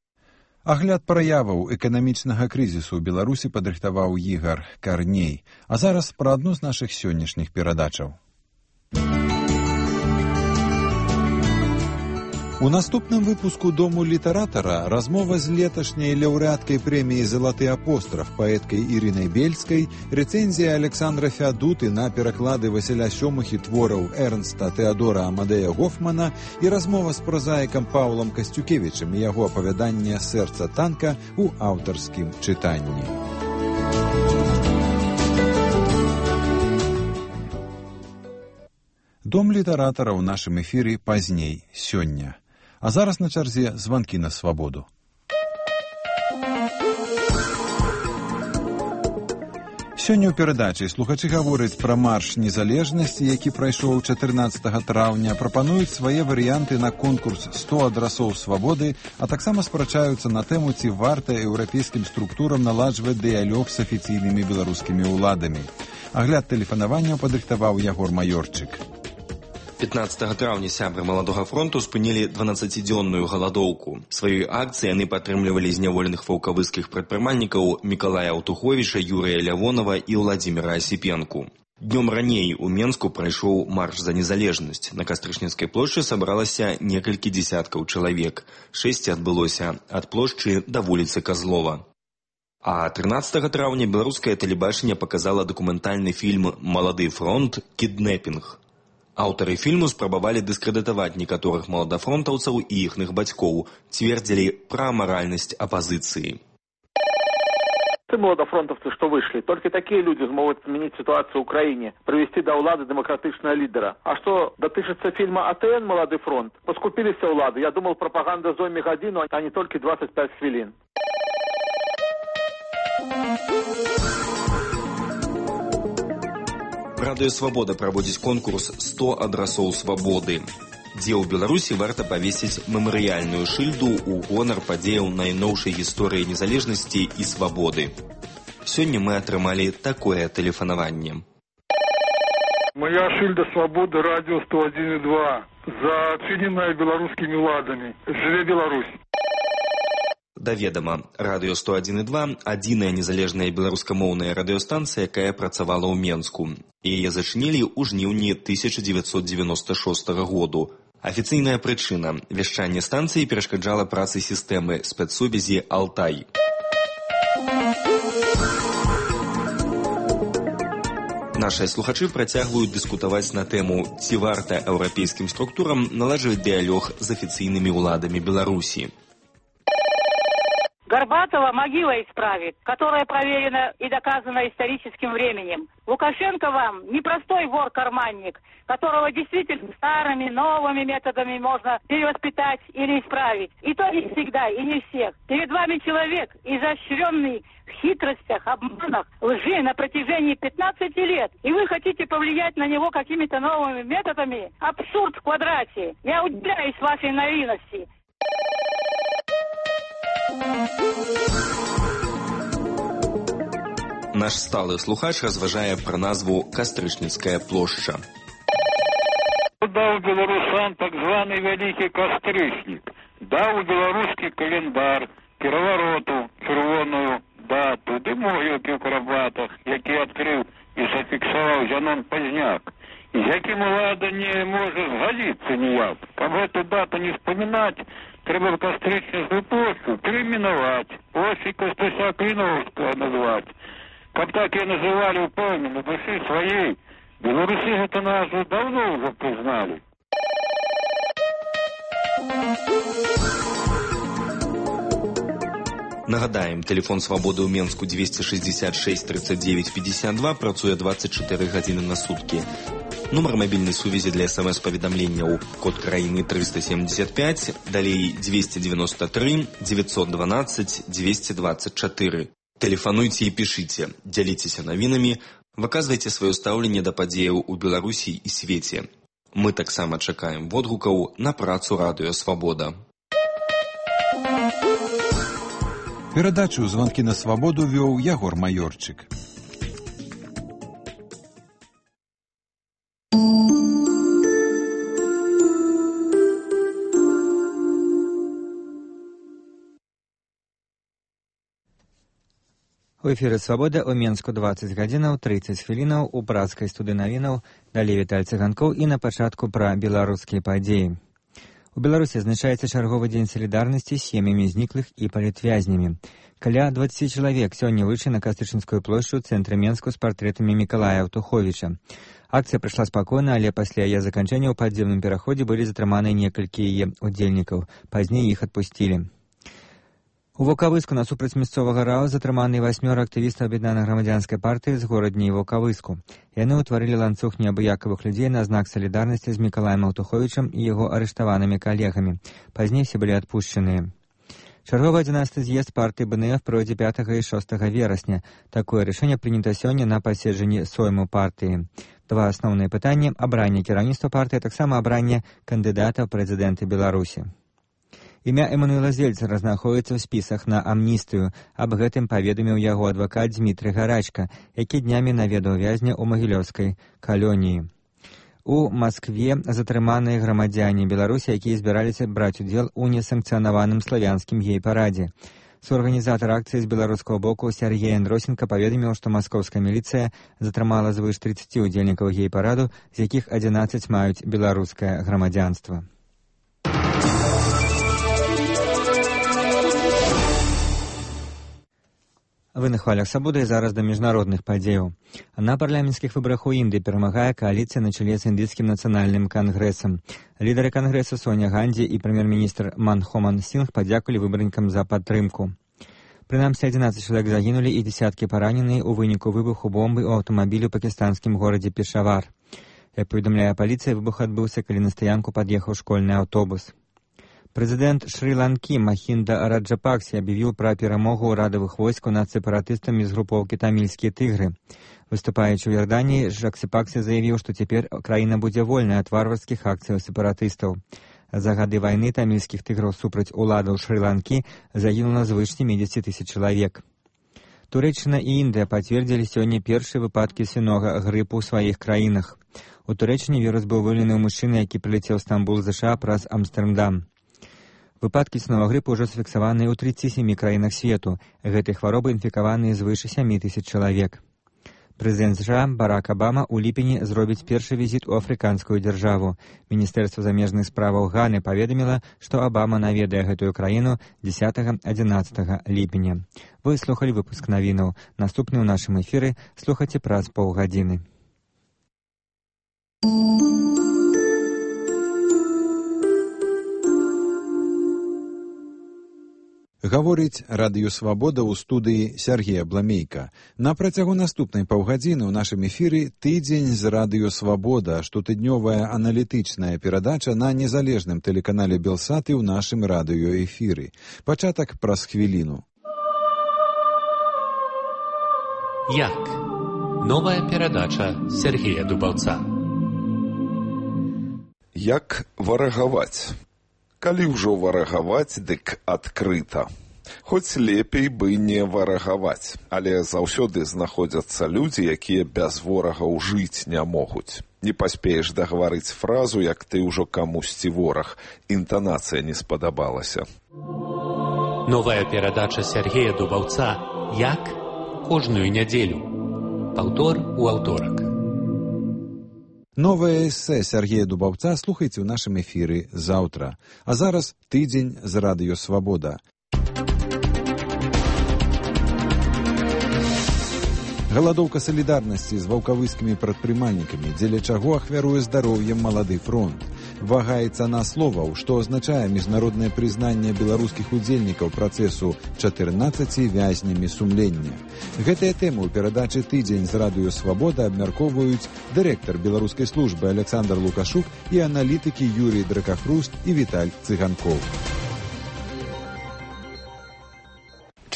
S1: Агляд праяваў эканамічнага крызісу ў Беларусі падрыхтаваў Ігар Карней. А зараз пра адну з нашых сённяшніх перадачаў. У наступным выпуску «Дому літаратара» размова з леташняй лаўрэаткай прэміі «Залаты апостраф» паэткай Ірынай Бельскай, рэцэнзія Александра Феадуты на пераклады Васіля Сёмухі твораў Эрнста Тэадора Амадея Гофмана і размова з празаікам Паўлам Касцюкевічам і яго апавяданне «Сэрца танка» у аўтарскім чытанні. «Дом літаратара» ў нашым эфіры пазней, сёння. А зараз на чарзе званкі на свабоду. Сёння ў перадачы слухачы гавораць пра марш незалежнасці, які прайшоў чатырнаццатага траўня, прапануюць свае варыянты на конкурс сто адрасоў свабоды, а таксама спрачаюцца на тэму, ці варта еўрапейскім структурам наладжваць дыялог з афіцыйнымі беларускімі ўладамі. Агляд тэлефанавання падрыхтаваў Ягор Маёрчык.
S2: пятнаццатага траўня сябры маладога фронту спынілі дванаццацідзённую галадоўку. Сваёй акцыяй яны падтрымлівалі зняволеных ваўкавыскіх прадпрымальнікаў Мікалая Аўтуховіча, Юрыя Лявонова і Владзіміра Асіпенку. Днём раней у Менску прайшоў марш за незалежнасць. На Кастрычніцкай плошчы сабралася некалькі дзесяткаў чалавек. Шэсце адбылося ад плошчы да вуліцы Казлова. А трынаццатага траўня беларускае тэлебачанне паказала дакументальны фільм «Малады фронт. Кіднэпінг». Аўтары фільму спрабавалі дыскрэдытаваць некаторых маладафронтаўцаў і іхных бацькоў, цвердзілі пра амаральнасць апазіцыі.
S3: Те молодофронтовцы, что вышли, только такие люди смогут изменить ситуацию в Украине, привести до улады демократичного лидера. А что дотычется фильма «АТН. Молодый фронт», поскупились улады. Я думал, пропаганда зойме годину, а не только двадцать пять хвилин.
S2: Радыё «Свабода» праводзіць конкурс сто адрасоў свабоды, дзе ў Беларусі варта павесіць мемарыяльную шыльду ў гонар падзеяў найноўшай гісторыі незалежнасці і свабоды. Сёння мы атрымалі такое тэлефанаванне.
S5: Моя шыльда свабоды, радио сто один и два, зачыненая беларускімі ўладамі. Жыве Беларусь!
S2: Да ведама, радыё сто один и два – адзіная незалежная беларускамоўная радыёстанцыя, якая працавала ў Менску. Яе зачынілі ў жніўні тысяча дзевяцьсот дзевяноста шостага году. Афіцыйная прычына – вяшчанне станцыі перашкаджала працы сістэмы спецсувязі «Алтай». Нашыя слухачы працягваюць дыскутаваць на тэму, ці варта еўрапейскім структурам наладжваць дыялог з афіцыйнымі ўладамі Беларусі.
S24: Горбатова могила исправит, которая проверена и доказана историческим временем. Лукашенко вам не простой вор-карманник, которого действительно старыми, новыми методами можно перевоспитать или исправить. И то не всегда, и не всех. Перед вами человек, изощренный в хитростях, обманах, лжи на протяжении пятнадцати лет. И вы хотите повлиять на него какими-то новыми методами? Абсурд в квадрате. Я удивляюсь вашей наивности.
S2: Наш сталы слухач разважае пра назву Кастрычніцкая плошча.
S5: Даў беларусам так званы вялікі кастрычнік, даў беларускі календар, перавароту, чырвоную дату, ды могілкі ў Карабатах, які адкрыў і зафіксаваў Зянон Пазняк, і з якім улада не можа згадзіцца ніяк. Каб гэту дату не вспамінаць, трэба Кастрычніцкую плошчу перайменаваць, Осень Костуся Клиновская назвать. Как так ее называли, помню, на души своей. Белорусы эту назву давно уже признали.
S2: Нагадаем, телефон свабоды ў Менску двести шестьдесят шесть тридцать девять пятьдесят два працуе двадцать четыре гадзіны на суткі. Нумар мабільнай сувязі для смс-паведамленняў код краіны триста семьдесят пять, далей двести девяносто три девятьсот двенадцать двести двадцать четыре. Тэлефануйце і пішыце, дзяліцеся навінамі, выказвайце сваё стаўленне да падзеяў у Беларусі і свеце. Мы таксама чакаем водгукаў на працу радыё Свабода.
S1: Перадачу «Звонкі на свабоду» вёў Ягор Майорчык.
S8: У эфіры «Свабода» ў Менску двадцать гадзінаў тридцать хвілінаў, у брацкай студыі навінаў далей Віталь Цыганкоў і на пачатку пра беларускія падзеі. У Беларусі адзначаецца чарговы дзень салідарнасці з сем'ямі зніклых і палітвязнямі. Каля двадцати чалавек сёння выйшлі на Кастрычніцкую плошчу ў цэнтры Менску з партрэтамі Мікалая Аўтуховіча. Акцыя прайшла спакойна, але пасля яе заканчэння ў падземным пераходзе былі затрыманы некалькі яе удзельнікаў. Пазней іх адпусцілі. У Ваўкавыску насупраць мясцовага РАО затрыманы васьмёра актывістаў аб'яднанай грамадзянскай партыі з горадні Ваўкавыску. Яны ўтварылі ланцуг неабыякавых людзей на знак салідарнасці з Мікалаем Аўтуховічам і яго арыштаванымі калегамі. Пазней все былі адпушчаныя. Чарговы адзінаццаты з'езд партыі БНФ пройдзе пятага і шостага верасня. Такое рашэнне прынята сёння на паседжанні сойму партыі. Два асноўныя пытанні: абранне кіраўніцтва партыі, таксама абранне кандыдата ў прэзідэнты Беларусі. Імя Эмануэла Зельцера знаходзіцца ў спісах на амністыю. Аб гэтым паведаміў яго адвакат Дмітрый Гарачка, які днямі наведаў вязня ў магілёўскай калоніі. У Маскве затрыманыя грамадзяне Беларусі, якія збіраліся браць удзел у несанкцыянаваным славянскім гей-парадзе. Суорганізатар акцыі з беларускага боку Сергей Андросенко паведаміў, што маскоўская міліцыя затрымала звыш тридцати удзельнікаў гей-параду, з якіх адзінаццаць маюць беларускае грамадзянства. Вы на хвалях свабоды, і зараз да міжнародных падзеяў. На парламенцкіх выбарах у Індыі перамагае кааліцыя на чале з індыйскім нацыянальным кангрэсам. Лідары кангрэса Соня Ганді і прэм'ер-міністр Манхоман Сінг падзякулі выбарнікам за падтрымку. Прынамсі адзінаццаць чалавек загінулі і дзесяткі параненыя ў выніку выбуху бомбы ў аўтамабілі ў пакістанскім горадзе Пешавар. Як паведамляе паліцыя, выбух адбыўся, калі на стаянку пад'ехаў школьны аўтобус. Прэзідэнт Шры-Ланкі Махінда Раджапаксе аб'явіў пра перамогу ўрадавых войскаў над сепаратыстамі з групоўкі тамільскія тыгры. Выступаючы ў Ярданіі, Раджапаксе заявіў, што цяпер краіна будзе вольная ад варварскіх акцыяў сепаратыстаў. За гады вайны тамільскіх тыграў супраць уладаў Шры-Ланкі загінула звыш семидесяти тысяч чалавек. Турэччына і Індыя пацвердзілі сёння першыя выпадкі свінога грыпу ў сваіх краінах. У Турэччыне вірус быў выяўлены ў мужчыны, які прылецеў ў Стамбул, ЗША праз Амстэрдам. Выпадкі свінога грыпу ўжо зафіксаваныя ў тридцати семи краінах свету. Гэтай хваробай інфікаваныя звыш сямі тысяч чалавек. Прэзідэнт ЗША Барак Абама ў ліпені зробіць першы візіт у афрыканскую дзяржаву. Міністэрства замежных справаў Ганы паведаміла, што Абама наведае гэтую краіну дзесятага-адзінаццатага ліпеня. Вы слухалі выпуск навінаў. Наступны ў нашым эфіры слухайце праз паўгадзіны.
S1: Гаворыць радыё «Свабода» ў студыі Сергея Бламейка. На працягу наступнай паўгадзіны ў нашым эфіры тыдзень з радыё «Свабода», штотыднёвая аналітычная перадача на незалежным тэлеканале Белсат і ў нашым радыёэфіры. Пачатак праз хвіліну.
S9: Як? Новая перадача Сергея Дубаўца.
S11: Як варагаваць? Калі ўжо варагаваць, дык адкрыта. Хоць лепей бы не варагаваць, але заўсёды знаходзяцца людзі, якія без ворагаў жыць не могуць. Не паспееш дагаварыць фразу, як ты ўжо камусьці вораг. Інтанацыя не спадабалася.
S9: Новая перадача Сергея Дубаўца «Як?» кожную нядзелю. Паўтор у аўторак.
S1: Новае эсэ Сергея Дубаўца слухайце ў нашым эфіры заўтра. А зараз тыдзень з радыё «Свабода». Галадоўка салідарнасці з ваўкавыскімі прадпрымальнікамі, дзеля чаго ахвяруе здароўем малады фронт. Вага і цана словаў, што азначае міжнароднае прызнанне беларускіх удзельнікаў працэсу чатырнаццаці вязнямі сумлення. Гэтыя тэмы ў перадачы «Тыдзень» з радыё «Свабода» абмяркоўваюць дырэктар беларускай службы Александр Лукашук і аналітыкі Юрій Дракахруст і Віталь Цыганкоў.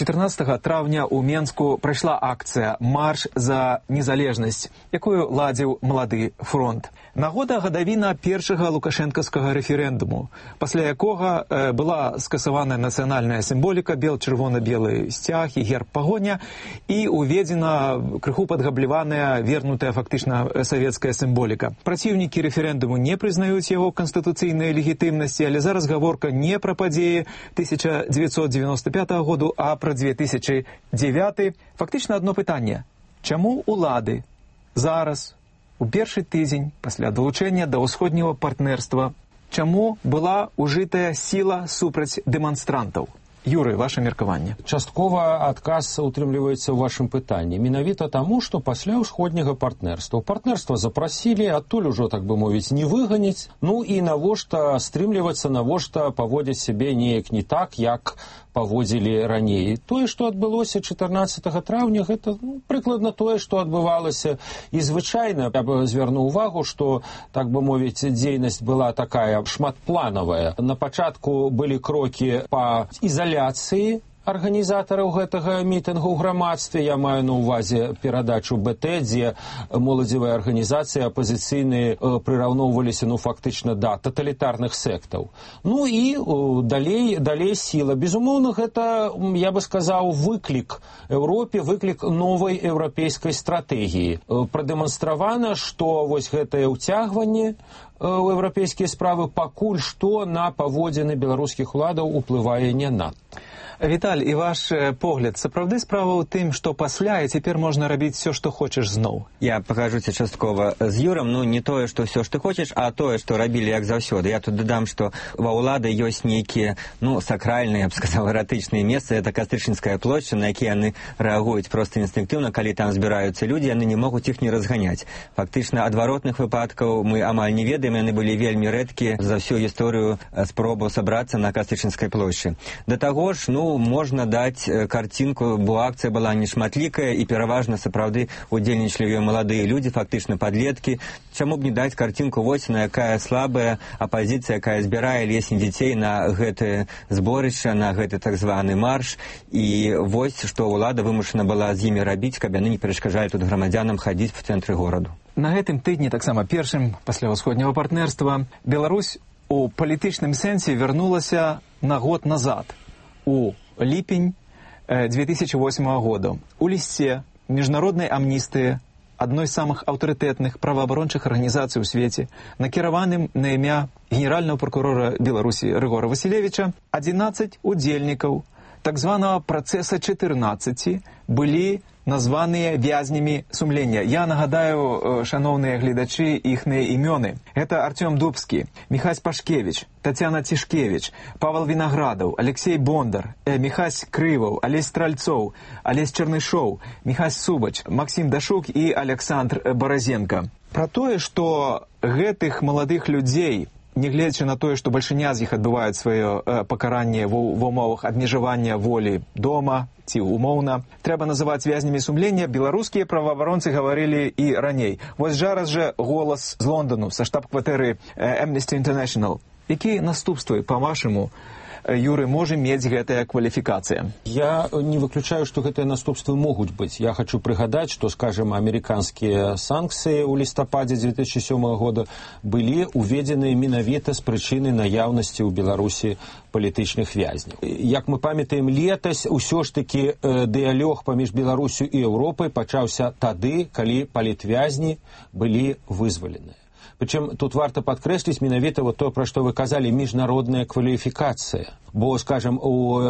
S10: чатырнаццатага траўня ў Менску прайшла акцыя «Марш за незалежнасць», якую ладзіў малады фронт. Нагода гадавіна першага лукашэнкаўскага рэферэндуму, пасля якога э, была скасаваная нацыянальная сімволіка, бел-чырвона-белы сцяг і герб пагоня, і уведзена крыху падгабліваная, вернутая фактычна савецкая сімволіка. Праціўнікі рэферэндуму не прызнаюць яго канстытуцыйнай легітымнасці, але зараз гаворка не пра падзеі тысяча дзевяцьсот дзевяносто пятага году, а пра две тысячи девятый. Фактычна одно пытанне. Чаму улады зараз, у першы тыдзень пасля далучэння да ўсходняга партнерства, чаму была ужытая сіла супраць дэманстрантаў? Юрый, ваше меркаванне.
S12: Часткова адказ утрымліваецца ў вашым пытанні. Менавіта таму, што пасля ўсходняга партнерства. Партнерства запрасілі, адтуль ужо, так бы мовіць, не выганіць. Ну і навошта стрымлівацца, навошта паводзіць сябе неяк не так, як паводзілі раней. Тое, што адбылося чатырнаццатага траўня, гэта ну, прыкладна тое, што адбывалася. І звычайна, я б звярнуў увагу, што, так бы мовіць, дзейнасць была такая шматпланавая. На пачатку былі крокі па ізаляцыі арганізатараў гэтага мітынгу ў грамадстве. Я маю на ўвазе перадачу бэ тэ, дзе моладзевыя арганізацыі апазіцыйныя прыраўноўваліся, ну, фактычна, да таталітарных сектаў. Ну і о, далей, далей сіла. Безумоўна, гэта, я бы сказаў, выклік Еўропе, выклік новай еўрапейскай стратэгіі. Прадэманстравана, што вось гэтае ўцягванне ў еўрапейскія справы пакуль што на паводзіны беларускіх уладаў уплывае не надта.
S10: Віталь, і ваш погляд, сапраўды справа ў тым, што пасля і цяпер можна рабіць все, што хочаш зноў?
S8: Я пагажуся часткова з Юрам, ну не тое, што все, што хочаш, а тое, што рабілі як заўсёды. Я тут дадам, што ва ўлады ёсць нейкія, ну, сакральныя, я б сказаў, эратычныя месцы. Это Кастрычніцкая плошча, на якія яны рэагуюць проста інстынктыўна, калі там збіраюцца людзі, яны не могуць іх не разганяць. Фактычна, адваротных выпадкаў мы амаль не ведаем, яны былі вельмі рэдкія за всю гісторыю спробу сабрацца на Кастрычніцкай плошчы. Да таго ж, ну, можна даць карцінку, бо акцыя была нешматлікая і пераважна сапраўды удзельнічалі маладыя людзі, фактычна падлеткі. Чаму б не даць карцінку вось на якая слабая апазіцыя, якая збірае лесні дзяцей на гэтае зборышча, на гэты так званы марш, і вось што ўлада вымушана была з імі рабіць, каб яны не перашкаджалі тут грамадзянам хадзіць в цэнтры гораду.
S10: На гэтым тыдні, таксама першым пасля ўсходняга партнерства, Беларусь у палітычным сэнсе вярнулася на год назад, у ліпень две тысячи восьмого года. У лісце міжнароднай амністыі, адной з самых аўтарытэтных праваабарончых арганізацый у свеце, накіраваным на імя генеральнага прокурора Беларусі Рыгора Васілевіча, адзінаццаць удзельнікаў так званага працэса чатырнаццаці былі названыя вязнямі сумлення. Я нагадаю, шановныя гледачы, іхныя імёны. Это Артём Дубскі, Міхась Пашкевіч, Тацяна Цішкевіч, Павел Вінаградаў, Алексей Бондар, Міхась Крываў, Алесь Стральцоў, Алесь Чарнышоў, Міхась Субач, Максім Дашук і Александр Баразенко. Пра тое, што гэтых маладых людзей, нягледзячы на тое, што бальшыня з іх адбываюць сваё э, пакаранне ва ўмовах абмежавання волі дома ці умоўна, трэба называць вязнямі сумлення, беларускія праваабаронцы гаварылі і раней. Вось зараз жа голас з Лондану, са штаб-кватэры э, Amnesty International. Якія наступствы, па-вашаму, Юры, можа мець гэтая кваліфікацыя?
S12: Я не выключаю, што гэтыя наступствы могуць быць. Я хочу прыгадаць, што, скажем, амерыканскія санкцыі ў лістападзе две тысячи сёмого года былі уведзеныя менавіта з прычыны наяўнасці ў Беларусі палітычных вязняў. Як мы памятаем, летась усё ж такі э, дыялог паміж Беларусю і Еўропай пачаўся тады, калі палітвязні былі вызваленыя. Причем тут варто подкрэсліць менавіта вот то, пра што вы казалі, міжнародная кваліфікацыя. бо, скажем, у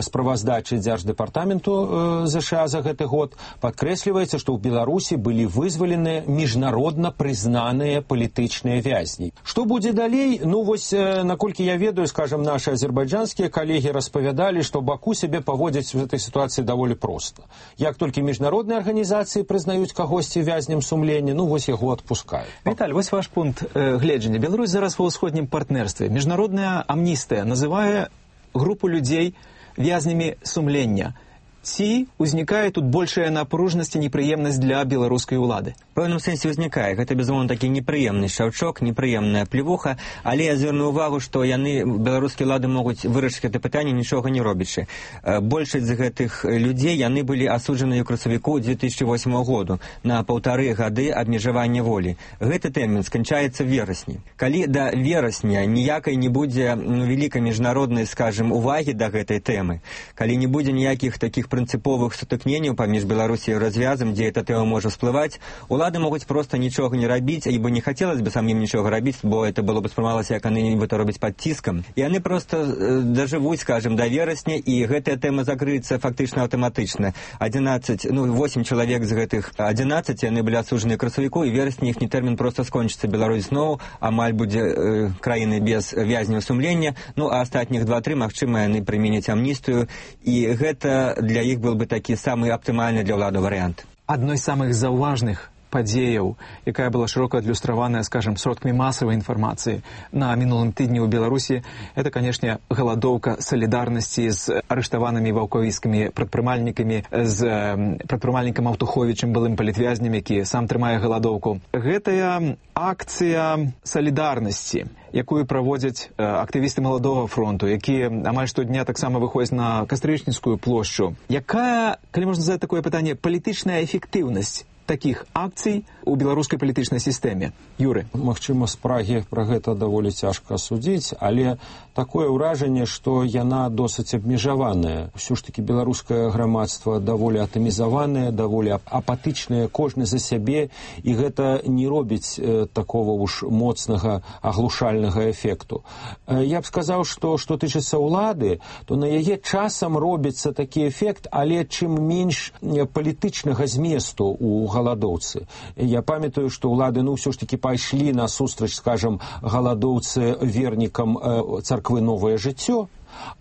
S12: справаздачы Дзярждэпартаменту ЗША за гэты год падкрэсліваецца, што ў Беларусі былі вызвалены міжнародна прызнаныя палітычныя вязні. Што будзе далей? Ну, вось, наколькі я ведаю, скажем, наши азербайджанскія калегі распавядалі, што Баку сябе паводзіць в этой сітуацыі даволі проста. Як толькі міжнародныя арганізацыі прызнаюць кагосьці вязнем сумлення, ну, вось яго адпускаюць.
S10: Віталь, вось ваш пункт э, гледжання. Беларусь зараз ва ўсходнім партнерстве. Міжнародная амністыя называе групу людзей вязнямі сумлення. Ці узнікае тут большая напружнасць і непрыемнасць для беларускай улады?
S8: В пэўным сэнсе ўзнікае. Гэта, безумоўна, такі непрыемны шаўчок, непрыемная плевуха, але я звярну ўвагу, што яны, беларускія ўлады, могуць вырашыць гэта пытанне, нічога не робячы. Большасць з гэтых людзей, яны былі асуджаныя ў красавіку две тысячи восьмого году на паўтары гады абмежавання волі. Гэты тэрмін сканчаецца в верасні. Калі да верасня ніякай не будзе вялікай міжнароднай, скажем, увагі да гэтай тэмы, калі не будзе ніякіх такіх прынцыповых сутыкненняў паміж Беларусі і развязам, дзе эта тэма можа всплываць, улады могуць проста нічога не рабіць, ібо не хацелось бы самим нічога рабіць, бо это было бы спрымалася, як яны нібыта робяць пад ціскам. І яны проста э, дажывуць, скажем, да верасня, і гэтая тэма закрыецца фактычна аўтаматычна. одиннадцать, ну, восемь чалавек з гэтых одиннадцать, яны былі асуджаны ў красавіку, і верасні іхні тэрмін проста скончыцца. Беларусь зноў амаль будзе э, краіны без вязняў сумлення, ну, а астатніх два-тры, магчыма, яны прыменяць амністыю, і гэта для іх был бы такі самы аптымальны для ўлады варыянт.
S10: Адной з самых заўважных падзеяў, якая была шырока адлюстраваная, скажем, сродкамі масавай інфармацыі на мінулым тыдні ў Беларусі, это, канешне, галадоўка салідарнасці з арыштаванымі ваўкавіцкімі прадпрымальнікамі, з прадпрымальнікам Аўтуховічам, былым палітвязнем, які сам трымае галадоўку. Гэтая акцыя салідарнасці, якую праводзяць актывісты Маладога фронту, якія амаль штодня таксама выходзяць на Кастрычніцкую плошчу. Якая, калі можна задаць такое пытанне, палітычная эфектыўнасць таких акцый у беларускай палітычнай сістэме? Юры.
S12: Магчыма, з Прагі пра гэта даволі цяжка судзіць, але такое ўражанне, што яна досыць абмежаваная. Усё ж такі беларускае грамадства даволі атамізаванае, даволі апатычнае, кожны за сябе, і гэта не робіць э, такого уж моцнага аглушальнага эфекту. Э, я б сказаў, што што тычыцца ўлады, то на яе часам робіцца такі эфект, але чым менш палітычнага зместу у галадоўцы. Я памятаю, што ўлады, ну, ўсё ж такі пайшлі на сустрач, скажам, галадоўцы вернікам э, царквы «Новае жыццё»,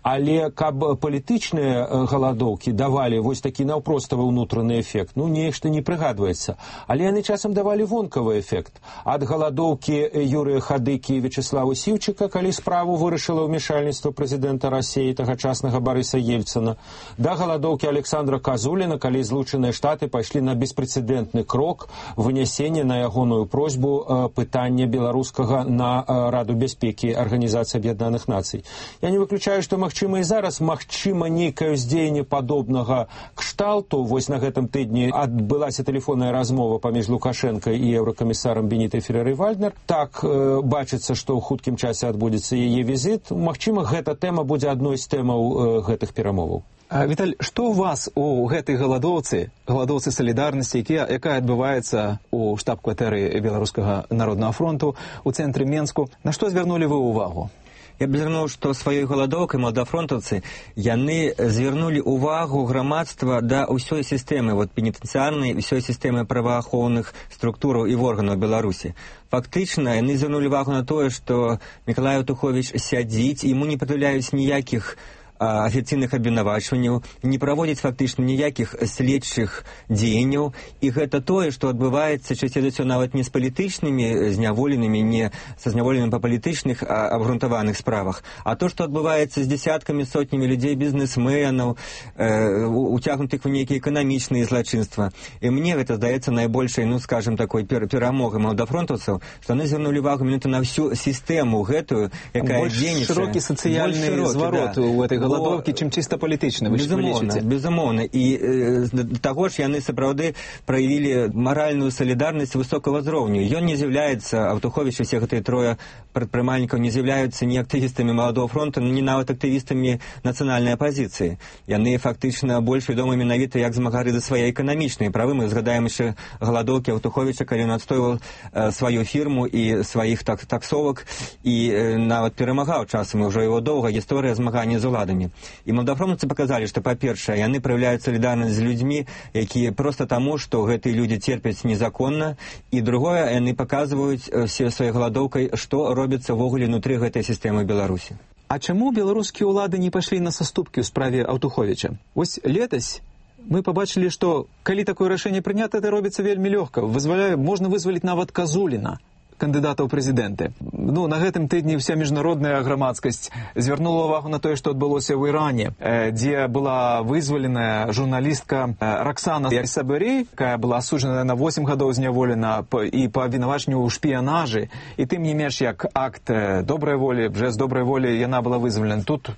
S12: але каб палітычныя галадоўкі давалі вось такі наўпроставы ўнутраны эфект, ну, нешта не прыгадваецца. Але яны часам давалі вонкавы эфект. Ад галадоўкі Юрыя Хадыкі і Вячеслава Сіўчыка, калі справу вырашыла ўмешальніцтва прэзідэнта Расіі, тагачаснага Барыса Ельцына, да галадоўкі Александра Казуліна, калі Злучаныя Штаты пайшлі на беспрэцэдэнтны крок вынясення на ягоную просьбу пытання беларускага на Раду бяспекі Арганізацыі Аб'яднаных Нацый. Я не выключаю, што магчыма і зараз, магчыма, нейкае ўздзеянне падобнага кшталту. Вось на гэтым тыдні адбылася тэлефонная размова паміж Лукашенко і еўракамісарам Бенітай Ферреры-Вальднер. Так, э, бачыцца, што ў хуткім часе адбудзецца яе візіт. Магчыма, гэта тэма будзе адной з тэмаў э, гэтых перамоваў.
S10: Віталь, што у вас у гэтай галадоўцы, галадоўцы салідарнасці, якая адбываецца у штаб-кватэры Беларускага народнага фронту у цэнтры Менску, на што звярнулі вы ўвагу?
S8: Я б звярнуў, што сваёй галадоўкай маладафронтаўцы яны звярнулі ўвагу грамадства да ўсёй сістэмы, вот пенітэнцыярнай, ўсёй сістэмы праваахоўных структураў і органаў Беларусі. Фактычна, яны звярнулі ўвагу на тое, што Мікалай Аўтуховіч сядзіць, яму не прад'яўляюць ніякіх афіцыйных абвінавачванняў, не праводзіць фактычна ніякіх следчых дзеянняў, і гэта тое, што адбываецца часцей за ўсё нават не з палітычнымі зняволенымі, не са зняволенымі па палітычных абгрунтаваных справах, а то, што адбываецца з дзесяткамі, сотнямі людзей, бізнесменаў, э, уцягнутых у нейкія эканамічныя злачынства. І мне гэта здаецца найбольшай, ну, скажем, такой перамогай маладафронтаўцаў, што яны звярнулі увагу менавіта на всю сістэму гэтую, якая дзейнічае.
S10: Больш шырокі сацыяльны зварот у этой галадоўкі, чым чыста палітычна, вы
S8: безумоўна, безумоўна. І э, да таго ж яны сапраўды праявілі маральную салідарнасць высокага ўзроўню. Ён не з'яўляецца, Аўтуховіч і все гэтыя трое прадпрымальнікаў не з'яўляюцца ні актывістамі Маладога фронту, ні нават актывістамі нацыянальнай апазіцыі. Яны фактычна больш вядомы менавіта як змагары за свае эканамічныя правы. Мы згадаем яшчэ галадоўкі Аўтуховіча, калі ён адстойваў э, сваю фірму і сваіх так, таксовак і э, нават перамагаў часам, і ўжо его доўга гісторыя змагання з уладамі. І маладафронтаўцы паказалі, што, па-першае, яны праяўляюць салідарнасць з людзьмі, якія проста таму, што гэтыя людзі церпяць незаконна, і другое, яны паказваюць все сваёй галадоўкай, што робіцца ввогуле внутры гэтай сістэмы Беларусі.
S10: А чаму беларускія ўлады не пайшлі на саступкі ў справе Аўтуховіча? Вось летась мы побачылі, што калі такое рашэнне прынята, это робіцца вельмі лёгка. Вызваляе, можна вызваліць нават Казуліна, кандыдата ў прэзідэнты. Ну, на гэтым тыдні вся міжнародная грамадскасць звярнула ўвагу на тое, што адбылося ў Іране, дзе была вызваленая журналістка Роксана Сабырей, якая была асуджаная на восем гадоў зняволена і па абвінавачанню ў шпіянажы. І тым не менш, як акт добрай волі, жэст добрай волі, яна была вызвалена. Тут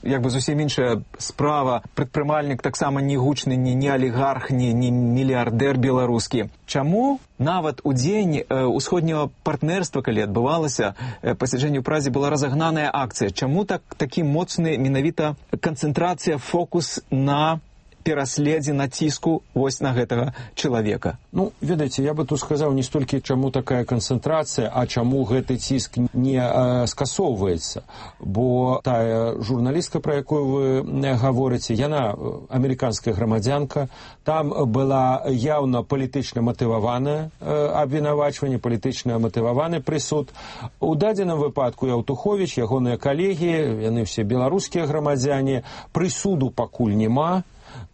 S10: як бы зусім іншая справа. Прадпрымальнік таксама не гучны, ні, ні алігарх, ні, ні мільярдэр беларускі. Чаму нават у дзень усходняга партнерства, калі адбывалася пасяджэнне ў Празе, была разагнаная акцыя? Чаму так такі моцны менавіта канцэнтрацыя, фокус на пераследзе, націску вось на гэтага чалавека?
S12: Ну, ведаеце, я бы тут сказаў не столькі, чаму такая канцэнтрацыя, а чаму гэты ціск не э, скасоўваецца. Бо тая журналістка, пра якую вы гаворыце, яна амерыканская грамадзянка, там была яўна палітычна матываваная э, абвінавачванне, палітычна матываваны прысуд. У дадзеным выпадку Аўтуховіч, ягоныя калегі, яны ўсе беларускія грамадзяне, прысуду пакуль няма.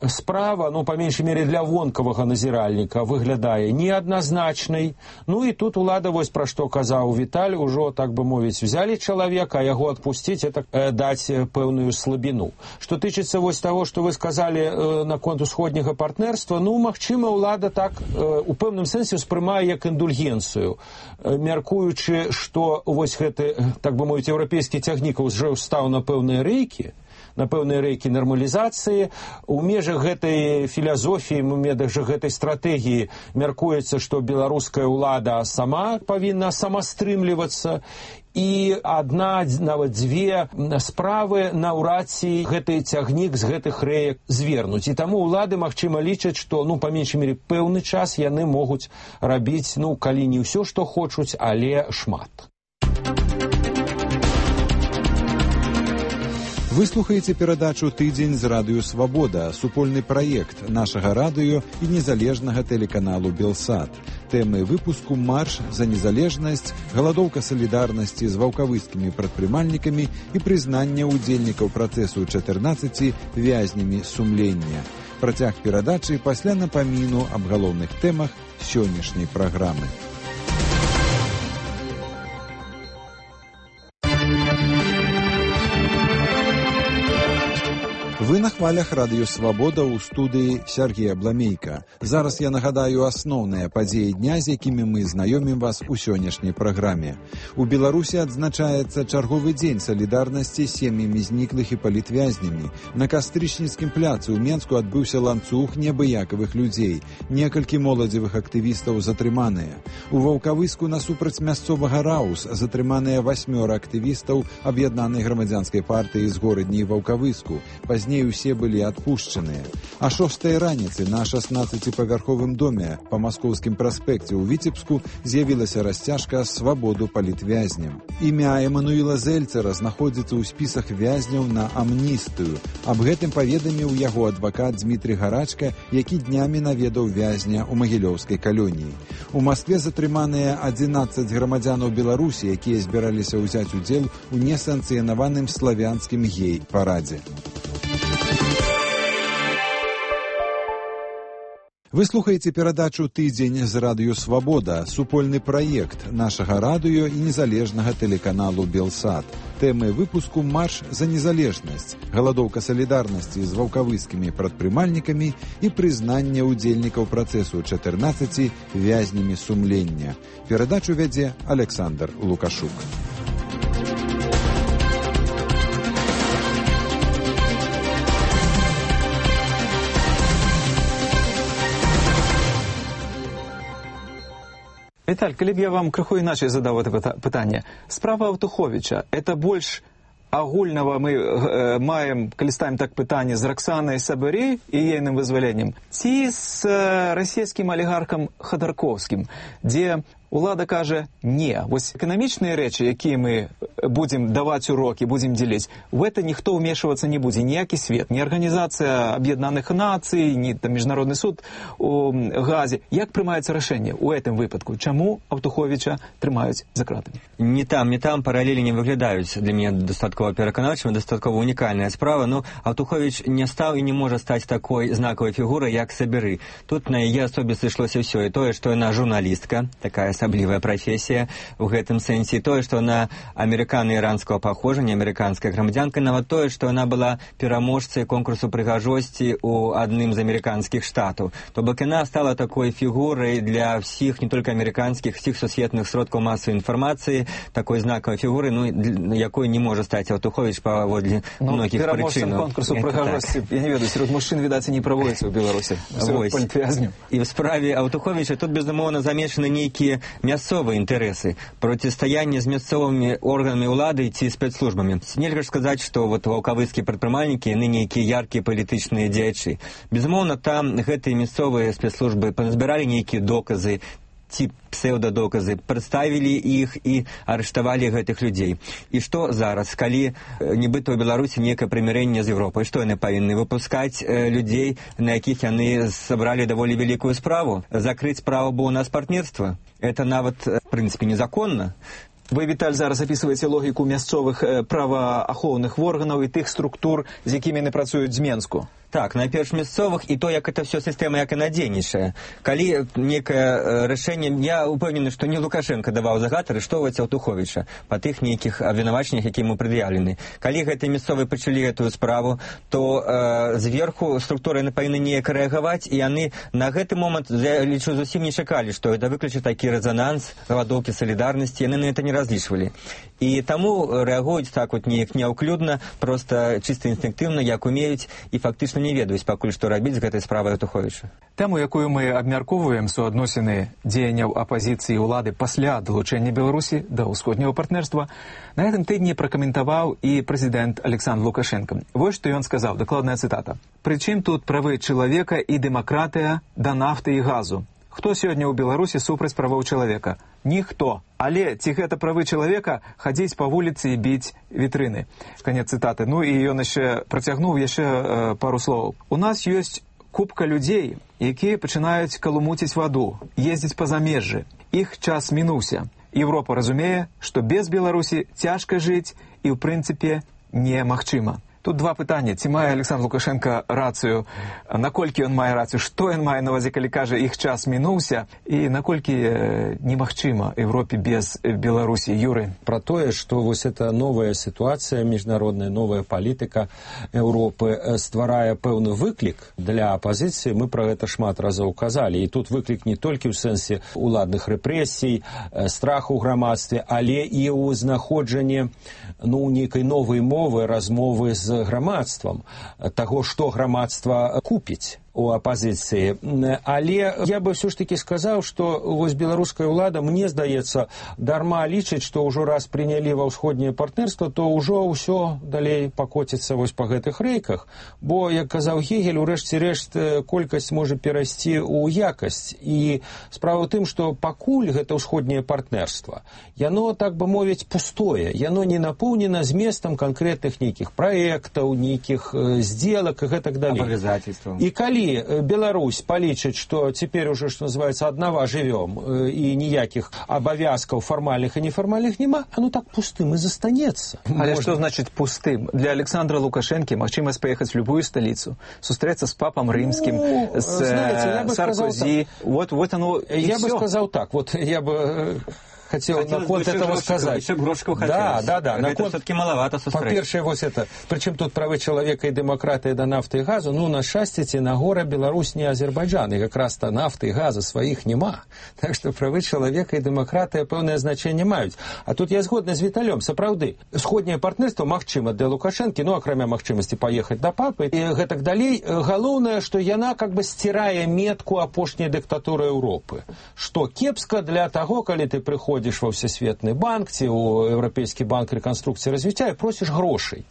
S12: Справа, ну, па меншай мере для вонкавага назіральніка, выглядае неадназначнай. Ну і тут улада, вось пра што казаў Віталь, ужо, так бы мовіць, взялі чалавека, а яго адпусціць, это э, даць пэўную слабіну. Што тычыцца вось таго, што вы сказалі э, наконт усходняга партнерства, ну, магчыма, улада так э, у пэўным сэнсе ўспрымае як індульгенцыю, э, мяркуючы, што вось гэты, так бы мовіць, еўрапейскі цягнік ўжо стаў на пэўныя рэйкі, на пэўныя рэйкі нармалізацыі. У межах гэтай філазофіі, у межах гэтай стратэгіі мяркуецца, што беларуская ўлада сама павінна самастрымлівацца, і адна, нават дзве справы наўрад ці гэты цягнік з гэтых рэек звернуць. І таму ўлады, магчыма, лічаць, што, ну, па меншай мере, пэўны час яны могуць рабіць, ну, калі не ўсё, што хочуць, але шмат.
S1: Вы слухаеце перадачу «Тыдзень» з радыё «Свабода», супольны праект нашага радыё і незалежнага тэлеканалу «Белсат». Тэмы выпуску «Марш за незалежнасць», галадоўка салідарнасці з ваўкавыскімі прадпрымальнікамі і прызнанне ўдзельнікаў працэсу чатырнаццаці вязнямі сумлення. Працяг перадачы пасля напаміну аб галоўных тэмах сённяшняй праграмы. Вы на хвалях радыё «Свабода» ў студыі Сергея Бламейка. Зараз я нагадаю асноўныя падзеі дня, з якімі мы знаёмім вас у сённяшняй праграме. У Беларусі адзначаецца чарговы дзень салідарнасці з сем'ямі зніклых і палітвязнямі. На Кастрычніцкім пляцы ў Менску адбыўся ланцуг неабыякавых людзей. Некалькі моладзевых актывістаў затрыманыя. У Ваўкавыску насупраць мясцовага Раус затрыманыя васьмёра актывістаў аб'яднанай грамадзянскай партыі з горадні Ваўкавыску. Пазней усе былі адпушчаныя. А шостай раніцы на шаснаццаціпавярховым доме па Маскоўскім праспекце ў Віцебску з'явілася расцяжка «Свабоду палітвязням». Імя Эмануіла Зельцера знаходзіцца ў спісах вязняў на амністыю. Аб гэтым паведаміў яго адвакат Дмітрий Гарачка, які днямі наведаў вязня ў магілёўскай калоніі. У Маскве затрыманыя адзінаццаць грамадзянаў Беларусі, якія збіраліся ўзяць удзел у несанкцыянаваным славянскім гей-парадзе. Вы слухаеце перадачу «Тыдзень» з радыё «Свабода», супольны праект нашага радыё і незалежнага тэлеканалу «Белсат». Тэмы выпуску «Марш за незалежнасць», галадоўка салідарнасці з ваўкавыскімі прадпрымальнікамі і прызнанне ўдзельнікаў працэсу чатырнаццаці вязнямі сумлення. Перадачу вядзе Александр Лукашук.
S10: Віталь, калі б я вам крыху іначай задаў это пытанне. Справа Аўтуховіча, это больш агульнага мы э, маем, калі ставім так пытанне, з Раксанай Сабырей і ейным вызваленнем, ці з э, расійскім алігархам Ходорковскім, дзе улада кажа не. Вось эканамічныя рэчы, якія мы будзем даваць урокі, будзем дзеліць, в это ніхто ўмешвацца не будзе, ніякі свет, ні Арганізацыя Аб'яднаных Нацый, ні там Міжнародны суд у Газе. Як прымаецца рашэнне ў гэтым выпадку? Чаму Аўтуховіча трымаюць за кратамі?
S8: Не там, не там паралелі не выглядаюць для мяне дастаткова пераканаўчымі, дастаткова унікальная справа. Ну, Аўтуховіч не стаў і не можа стаць такой знакавай фігурай, як Саберы. Тут на яе асобе сышлося ўсё. І тое, што яна журналістка, такая асаблівая прафесія ў гэтым сэнсе, і тое, што яна амерыкана-іранскага паходжання, амерыканская грамадзянка, нават тое, што яна была пераможцай конкурсу прыгажосці ў адным з амерыканскіх штатаў. То бок яна стала такой фігурай для всіх, не толькі амерыканскіх, всіх сусветных сродкаў масавай інфармацыі, такой знакавай фігуры, ну, якой не можа стаць Аўтуховіч паводле
S10: ну,
S8: многіх прычынаў.
S10: Пераможцам конкурсу прыгажосці, так. Я не ведаю, сярод мужчын, відаць, не праводзіцца ў Беларусі.
S8: І в справе Аўтуховіча тут, безумоўна, замешаны нейкія мясцовыя інтарэсы, процістаянне з мясцовымі органамі ўлады ці спецслужбамі. Нельга ж сказаць, што вот ваўкавыцкія прадпрымальнікі, яны нейкія яркія палітычныя дзеячы. Безумоўна, там гэтыя мясцовыя спецслужбы пазбіралі нейкія доказы, ці псеўдадоказы, прадставілі іх і арыштавалі гэтых людзей. І што зараз, калі нібыта ў Беларусі некае прымірэнне з Еўропай, што яны павінны выпускаць людзей, на якіх яны сабралі даволі вялікую справу? Закрыць справу, бо у нас партнерства? Это нават, в прынцыпе, незаконна.
S10: Вы, Віталь, зараз апісваеце логіку мясцовых праваахоўных органаў і тых структур, з якімі яны працуюць з Менску.
S8: Так, найперш мясцовых, і то, як это все сістэма, як яна дзейнічае. Калі некае рашэнне, я упэўнены, што не Лукашенко даваў загад арыштоўваць Аўтуховіча па тых нейкіх абвінавачаннях, якія ему прад'яўлены. Калі гэтыя мясцовыя пачалі гэтую справу, то э, зверху структуры яны павінны неяк рэагаваць, і яны на гэты момант, я лічу, зусім не чакалі, што это выкліча такі рэзананс, галадоўкі салідарнасці, яны на это не разлічвалі. І таму рэагуюць так вот неяк няўклюдна, проста чыста інстынктыўна, як умеюць, і фактычна не ведаюць пакуль што рабіць з гэтай справай Аўтуховіча.
S10: Тэму, якую мы абмяркоўваем, суадносіны дзеянняў апазіцыі і ўлады пасля далучэння Беларусі да ўсходняга партнерства, на гэтым тыдні пракаментаваў і прэзідэнт Александр Лукашенко. Вось што ён сказаў, дакладная цытата. «Прычым тут правы чалавека і дэмакратыя да нафты і газу? Хто сёння ў Беларусі супраць правоў чалавека? Ніхто. Але ці гэта правы чалавека хадзіць па вуліцы і біць вітрыны?» Канец цытаты. Ну і ён яшчэ працягнуў яшчэ э, пару словаў. У нас ёсць купка людзей, якія пачынаюць калумуціць ваду, ездзіць па замежжы. Іх час мінуўся. Еўропа разумее, што без Беларусі цяжка жыць і ў прынцыпе немагчыма. Тут два пытання. Ці мае Александр Лукашенко рацыю? Наколькі ён мае рацыю? Што ён мае на увазе, калі кажа, іх час мінуўся? І наколькі э, немагчыма Европе без Беларусі? Юры?
S12: Про тое, што вось эта новая сітуацыя міжнародная, новая палітыка Еўропы стварае пэўны выклік для апазіцыі. Мы пра гэта шмат разоў казалі. І тут выклік не толькі ў сэнсе уладных рэпрэсій, страху ў грамадстве, але і ў знаходжанні ну, нейкай новай мовы, размовы з грамадствам, таго, што грамадства купіць у апазіцыі. Але я бы ўсё ж такі сказаў, што вось беларуская ўлада, мне здаецца, дарма лічыць, што ўжо раз прынялі ва ўсходняе партнерства, то ўжо ўсё далей пакоціцца вось па гэтых рэйках. Бо, як казаў Гегель, у рэшце рэшт колькасць можа перайсці ў якасць. І справа ў тым, што пакуль гэта ўсходняе партнерства, яно, так бы мовіць, пустое. Яно не напоўнена зместам канкрэтных нейкіх праектаў, нейкіх здзелак і гэтак далей.
S8: Абавязательстваў.
S12: І калі Беларусь палічыць, што цяпер уже, што называецца, аднава жывём і ніякіх абавязкаў фармальных і нефармальных няма, оно так пустым і застанецца.
S10: Але Можна... што значыць пустым? Для Александра Лукашенкі магчымасць паехаць в любую сталіцу, сустрэцца з папам рымскім,
S12: ну,
S10: з Саркозі.
S12: Вот, вот оно, я бы сказал так, вот я бы хотел на код этого сказать. Да, да, да.
S8: Это все-таки маловато сустрэч.
S12: По-першае, вось это, причем тут правы человека и демократия до нафты и газа, ну, на счастье, на гора Беларусь не Азербайджан, и как раз-то нафты и газа своих нема. Так что правы человека и демократия пэўнае значение маюць. А тут я згодны з Віталём, сапраўды. Сходняе партнерство магчыма для Лукашэнкі, ну, акрамя магчымасці поехать до папы, и гэтак далей. Галоўнае, што яна как бы стирае метку апошняй дыктатуры Европы. Што кепска для того, калі ты прыходзіш ва Всесветны банк ці ў Еўрапейскі банк рэканструкцыі развіцця і просіш грошай.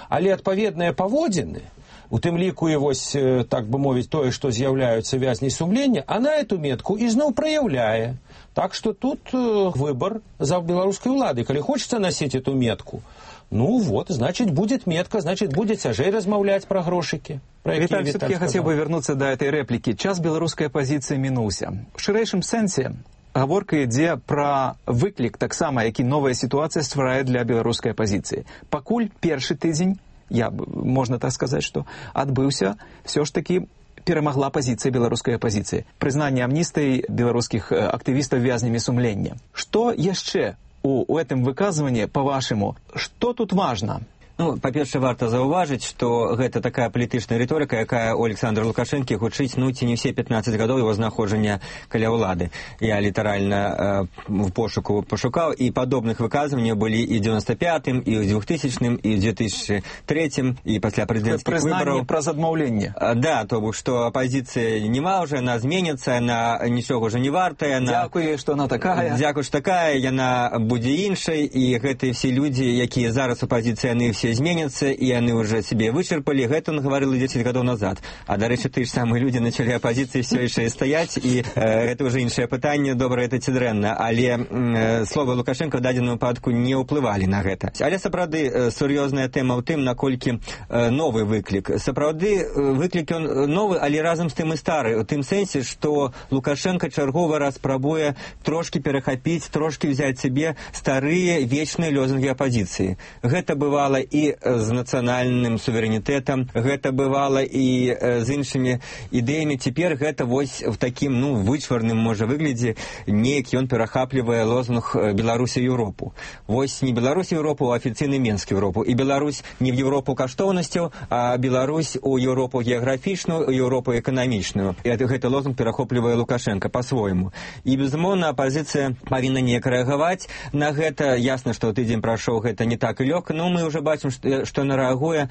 S12: Але адпаведныя паводзіны, у тым ліку і вось, так бы мовіць, тое, што з'яўляюцца вязней сумлення, она эту метку ізноў праяўляе. Так что тут выбор за белорусской улады. Коли хочется носить эту метку, ну вот, значит, будет метка, значит, будет цяжэй размаўляць про грошики.
S10: Виталий, все-таки я хотел бы вернуться до этой реплики. Час белорусской оппозиции минулся. В ширэйшым сэнсе гаворка ідзе пра выклік таксама, які новая ситуация стварае для беларускай апозіцыі. Пакуль першы тыдзень, я, можно так сказать, что адбыўся, все ж таки перамагла пазіцыя беларускай апозіцыі. Прызнанне амністыі беларускіх актывістаў вязнямі сумлення. Што яшчэ у, у этом выказванні, па-вашаму, што тут важна?
S8: Ну, па-першае, варта заўважыць, што гэта такая палітычная рыторыка, якая у Александра Лукашэнкі гучыць, ну, ці не ўсе пятнаццаць гадоў яго знаходжання каля ўлады. Я літаральна э, в пошуку пашукаў, і падобных выказванняў былі і ў дзевяносто пятым, і ў двухтысячным, і ў две тысячи третьем, і пасля прэзідэнцкіх выбараў.
S10: Прызнанне праз адмаўленне.
S8: Да, то бок, што апазіцыя нема ўжо, яна зменіцца, яна нічога ўжо не вартая.
S10: Дзякуе, што яна такая.
S8: Дзякуе, што такая, яна будзе іншай, і гэтыя все людзі, якія зараз у апазіцыі, яны все зменятся, и они уже себе вычерпали. Это он говорил и десять годов назад. А, до речі, ті ж самі люди начали опозиции все еще стоять, и э, это уже іншае пытанне, добра это ці дрэнна. Але э, словы Лукашенко в дадзеным выпадку не ўплывалі на гэта. Але сапраўды э, сур'ёзная тэма ў тым, наколькі э, новы выклік. Сапраўды э, выклік ён новы, але разам з тым і стары. У тым сэнсе, што Лукашенко чарговы раз пробуе трошки перахапіць, трошки взяць себе старыя вечныя лозунгі апозіцыі. Гэта бывала і з нацыянальным суверэнітэтам, гэта бывала і з іншымі ідэямі. Цяпер гэта вось в такім, ну, вычварным, можа, выглядзе, неяк ён перахаплівае лозунг Беларусі Еўропу. Вось не Беларусь Еўропу, а афіцыйны Менск Еўропу. І Беларусь не в Еўропу каштоўнасцяў, а Беларусь у Еўропу геаграфічную, у Еўропу эканамічную. І гэты лозунг перахоплівае Лукашенко па-свойму. І, безумоўна, апозіцыя павінна неяк рэагаваць на гэта. Ясна, што тыдзень прайшоў, гэта не так і лёгка, но мы ўжо бачым, што яна рэагуе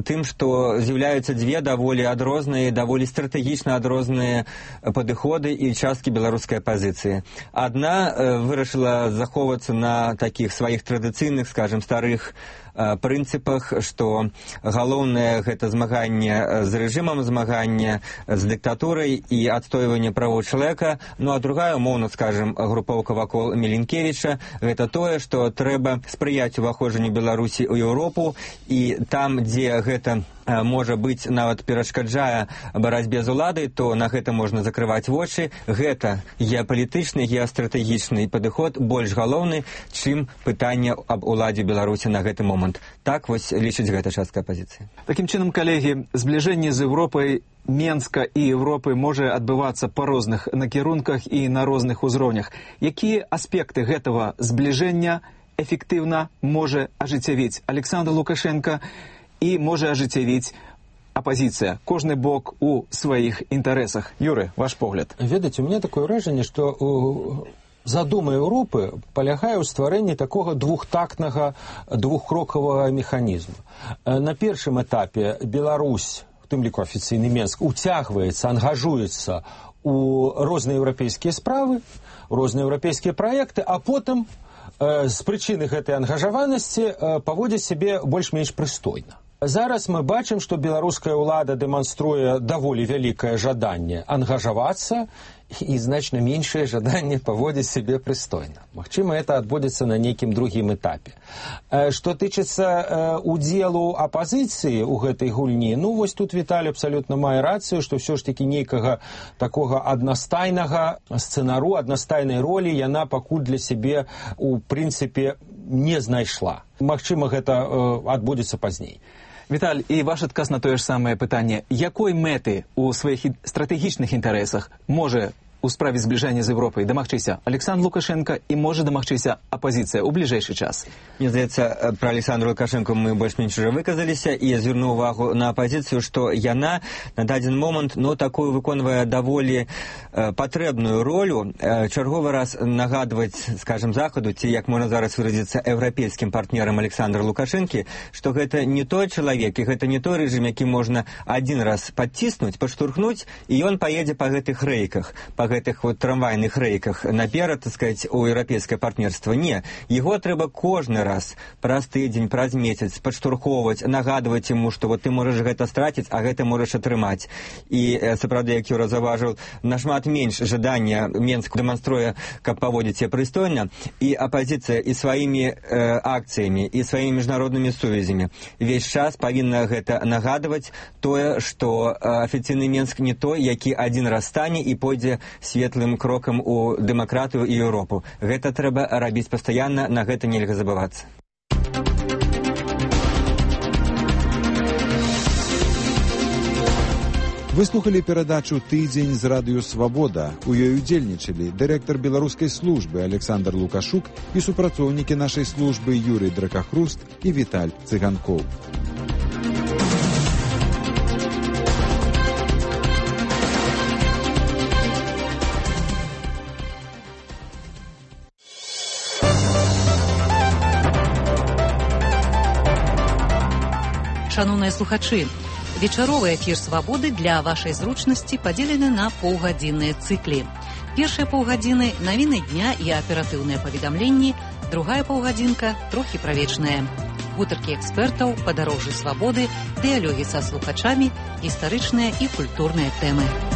S8: тым, што з'яўляюцца дзве даволі адрозныя, даволі стратэгічна адрозныя падыходы і часткі беларускай апозіцыі. Адна вырашыла захоўвацца на такіх сваіх традыцыйных, скажем, старых прынцыпах, што галоўнае гэта змаганне з рэжымам, змаганне з дыктатурай і адстойванне правоў чалавека. Ну а другая, умоўна скажем, групоўка вакол Міленкевіча, гэта тое, што трэба спрыяць уваходжанню Беларусі ў Еўропу, і там, дзе гэта можа быць, нават перашкаджае барацьбе з уладай, то на гэта можна закрываць вочы. Гэта геапалітычны, геастратэгічны падыход больш галоўны, чым пытанне аб уладзе Беларусі на гэты момант. Так вось лічыць гэта частка апозіцыі.
S10: Такім чынам, калегі, збліжэнне з Еўропай, Менска і Еўропы можа адбывацца па розных накірунках і на розных узроўнях. Якія аспекты гэтага збліжэння эфектыўна можа ажыццявіць Александр Лукашенко і можа ажыццявіць апозіцыя, кожны бок у сваіх інтарэсах? Юры, ваш погляд.
S12: Ведаеце, у меня такое ўражанне, што задума Еўропы палягае ў стварэнні такога двухтактнага, двухкрокавага механізму. На першым этапе Беларусь, у тым ліку афіцыйны Менск, уцягваецца, ангажуецца у розныя еўрапейскія справы, розныя еўрапейскія праекты, а потым э, з прычыны гэтай ангажаванасці э, паводзіць сябе больш-менш прыстойна. Зараз мы бачым, што беларуская ўлада дэманструе даволі вялікае жаданне ангажавацца і значна меншае жаданне паводзіць сябе прыстойна. Магчыма, это адбудзецца на нейкім другім этапе. Што тычыцца удзелу апазіцыі ў гэтай гульні, ну вось тут Віталій абсалютна мае рацыю, што ўсё ж такі нейкага такога аднастайнага сцэнару, аднастайнай ролі яна пакуль для сябе у прынцыпе не знайшла. Магчыма, гэта адбудзецца пазней.
S10: Віталь, і ваш адказ на тое ж самае пытанне. Якой мэты ў сваіх стратэгічных інтарэсах можа у справе зближэння з Европай дамагчыся Александр Лукашенко і можа дамагчыся апазіцыя ў бліжэйшы час?
S8: Мне здаецца, пра Александра Лукашенко мы больш-менш уже выказаліся, і я звярну увагу на апазіцыю, што яна на дадзен момант, ну, такую выконвае даволі э, патрэбную ролю, э, чарговы раз нагадваць, скажем, Захаду, ці, як можна зараз выразіцца, еўрапейскім партнерам Александра Лукашенкі, што гэта не той чалавек, і гэта не той рэжым, які можна адзін раз падціснуць, падштурхнуць, і ён паедзе па гэтых рэйках, па гэтых вот трамвайных рэйках наперад, так сказаць, у еўрапейскае партнерства. Не, яго трэба кожны раз праз тыдзень, праз месяц падштурхоўваць, нагадваць яму, што вот ты можаш гэта страціць, а гэта можаш атрымаць. І сапраўды, як Юра заўважыў, нашмат менш жадання Менск дэманструе, каб паводзіць себе прыстойна, і апазіцыя і сваімі э, акцыямі, і сваімі міжнароднымі сувязямі весь час павінна гэта нагадваць тое, што э, афіцыйны Менск не той, які адзін раз стане і пойдзе светлым крокам у дэмакратыю і Еўропу. Гэта трэба рабіць пастаянна, на гэта нельга забывацца.
S1: Вы слухали перадачу «Тыдзень з радыё Свабода». У ёй удзельнічалі дырэктар беларускай службы Александр Лукашук і супрацоўнікі нашай службы Юрый Дракахруст і Віталь Цыганкоў.
S7: Шановныя слухачы, вечаровы эфір «Свабоды» для вашай зручнасці падзелены на паўгадзінныя цыклі. Першыя паўгадзіны – навіны дня і аператыўныя паведамленні, другая паўгадзінка – трохі правечная. Гутаркі экспертаў, падарожжы свабоды, дыялогі са слухачамі, гістарычныя і культурныя тэмы.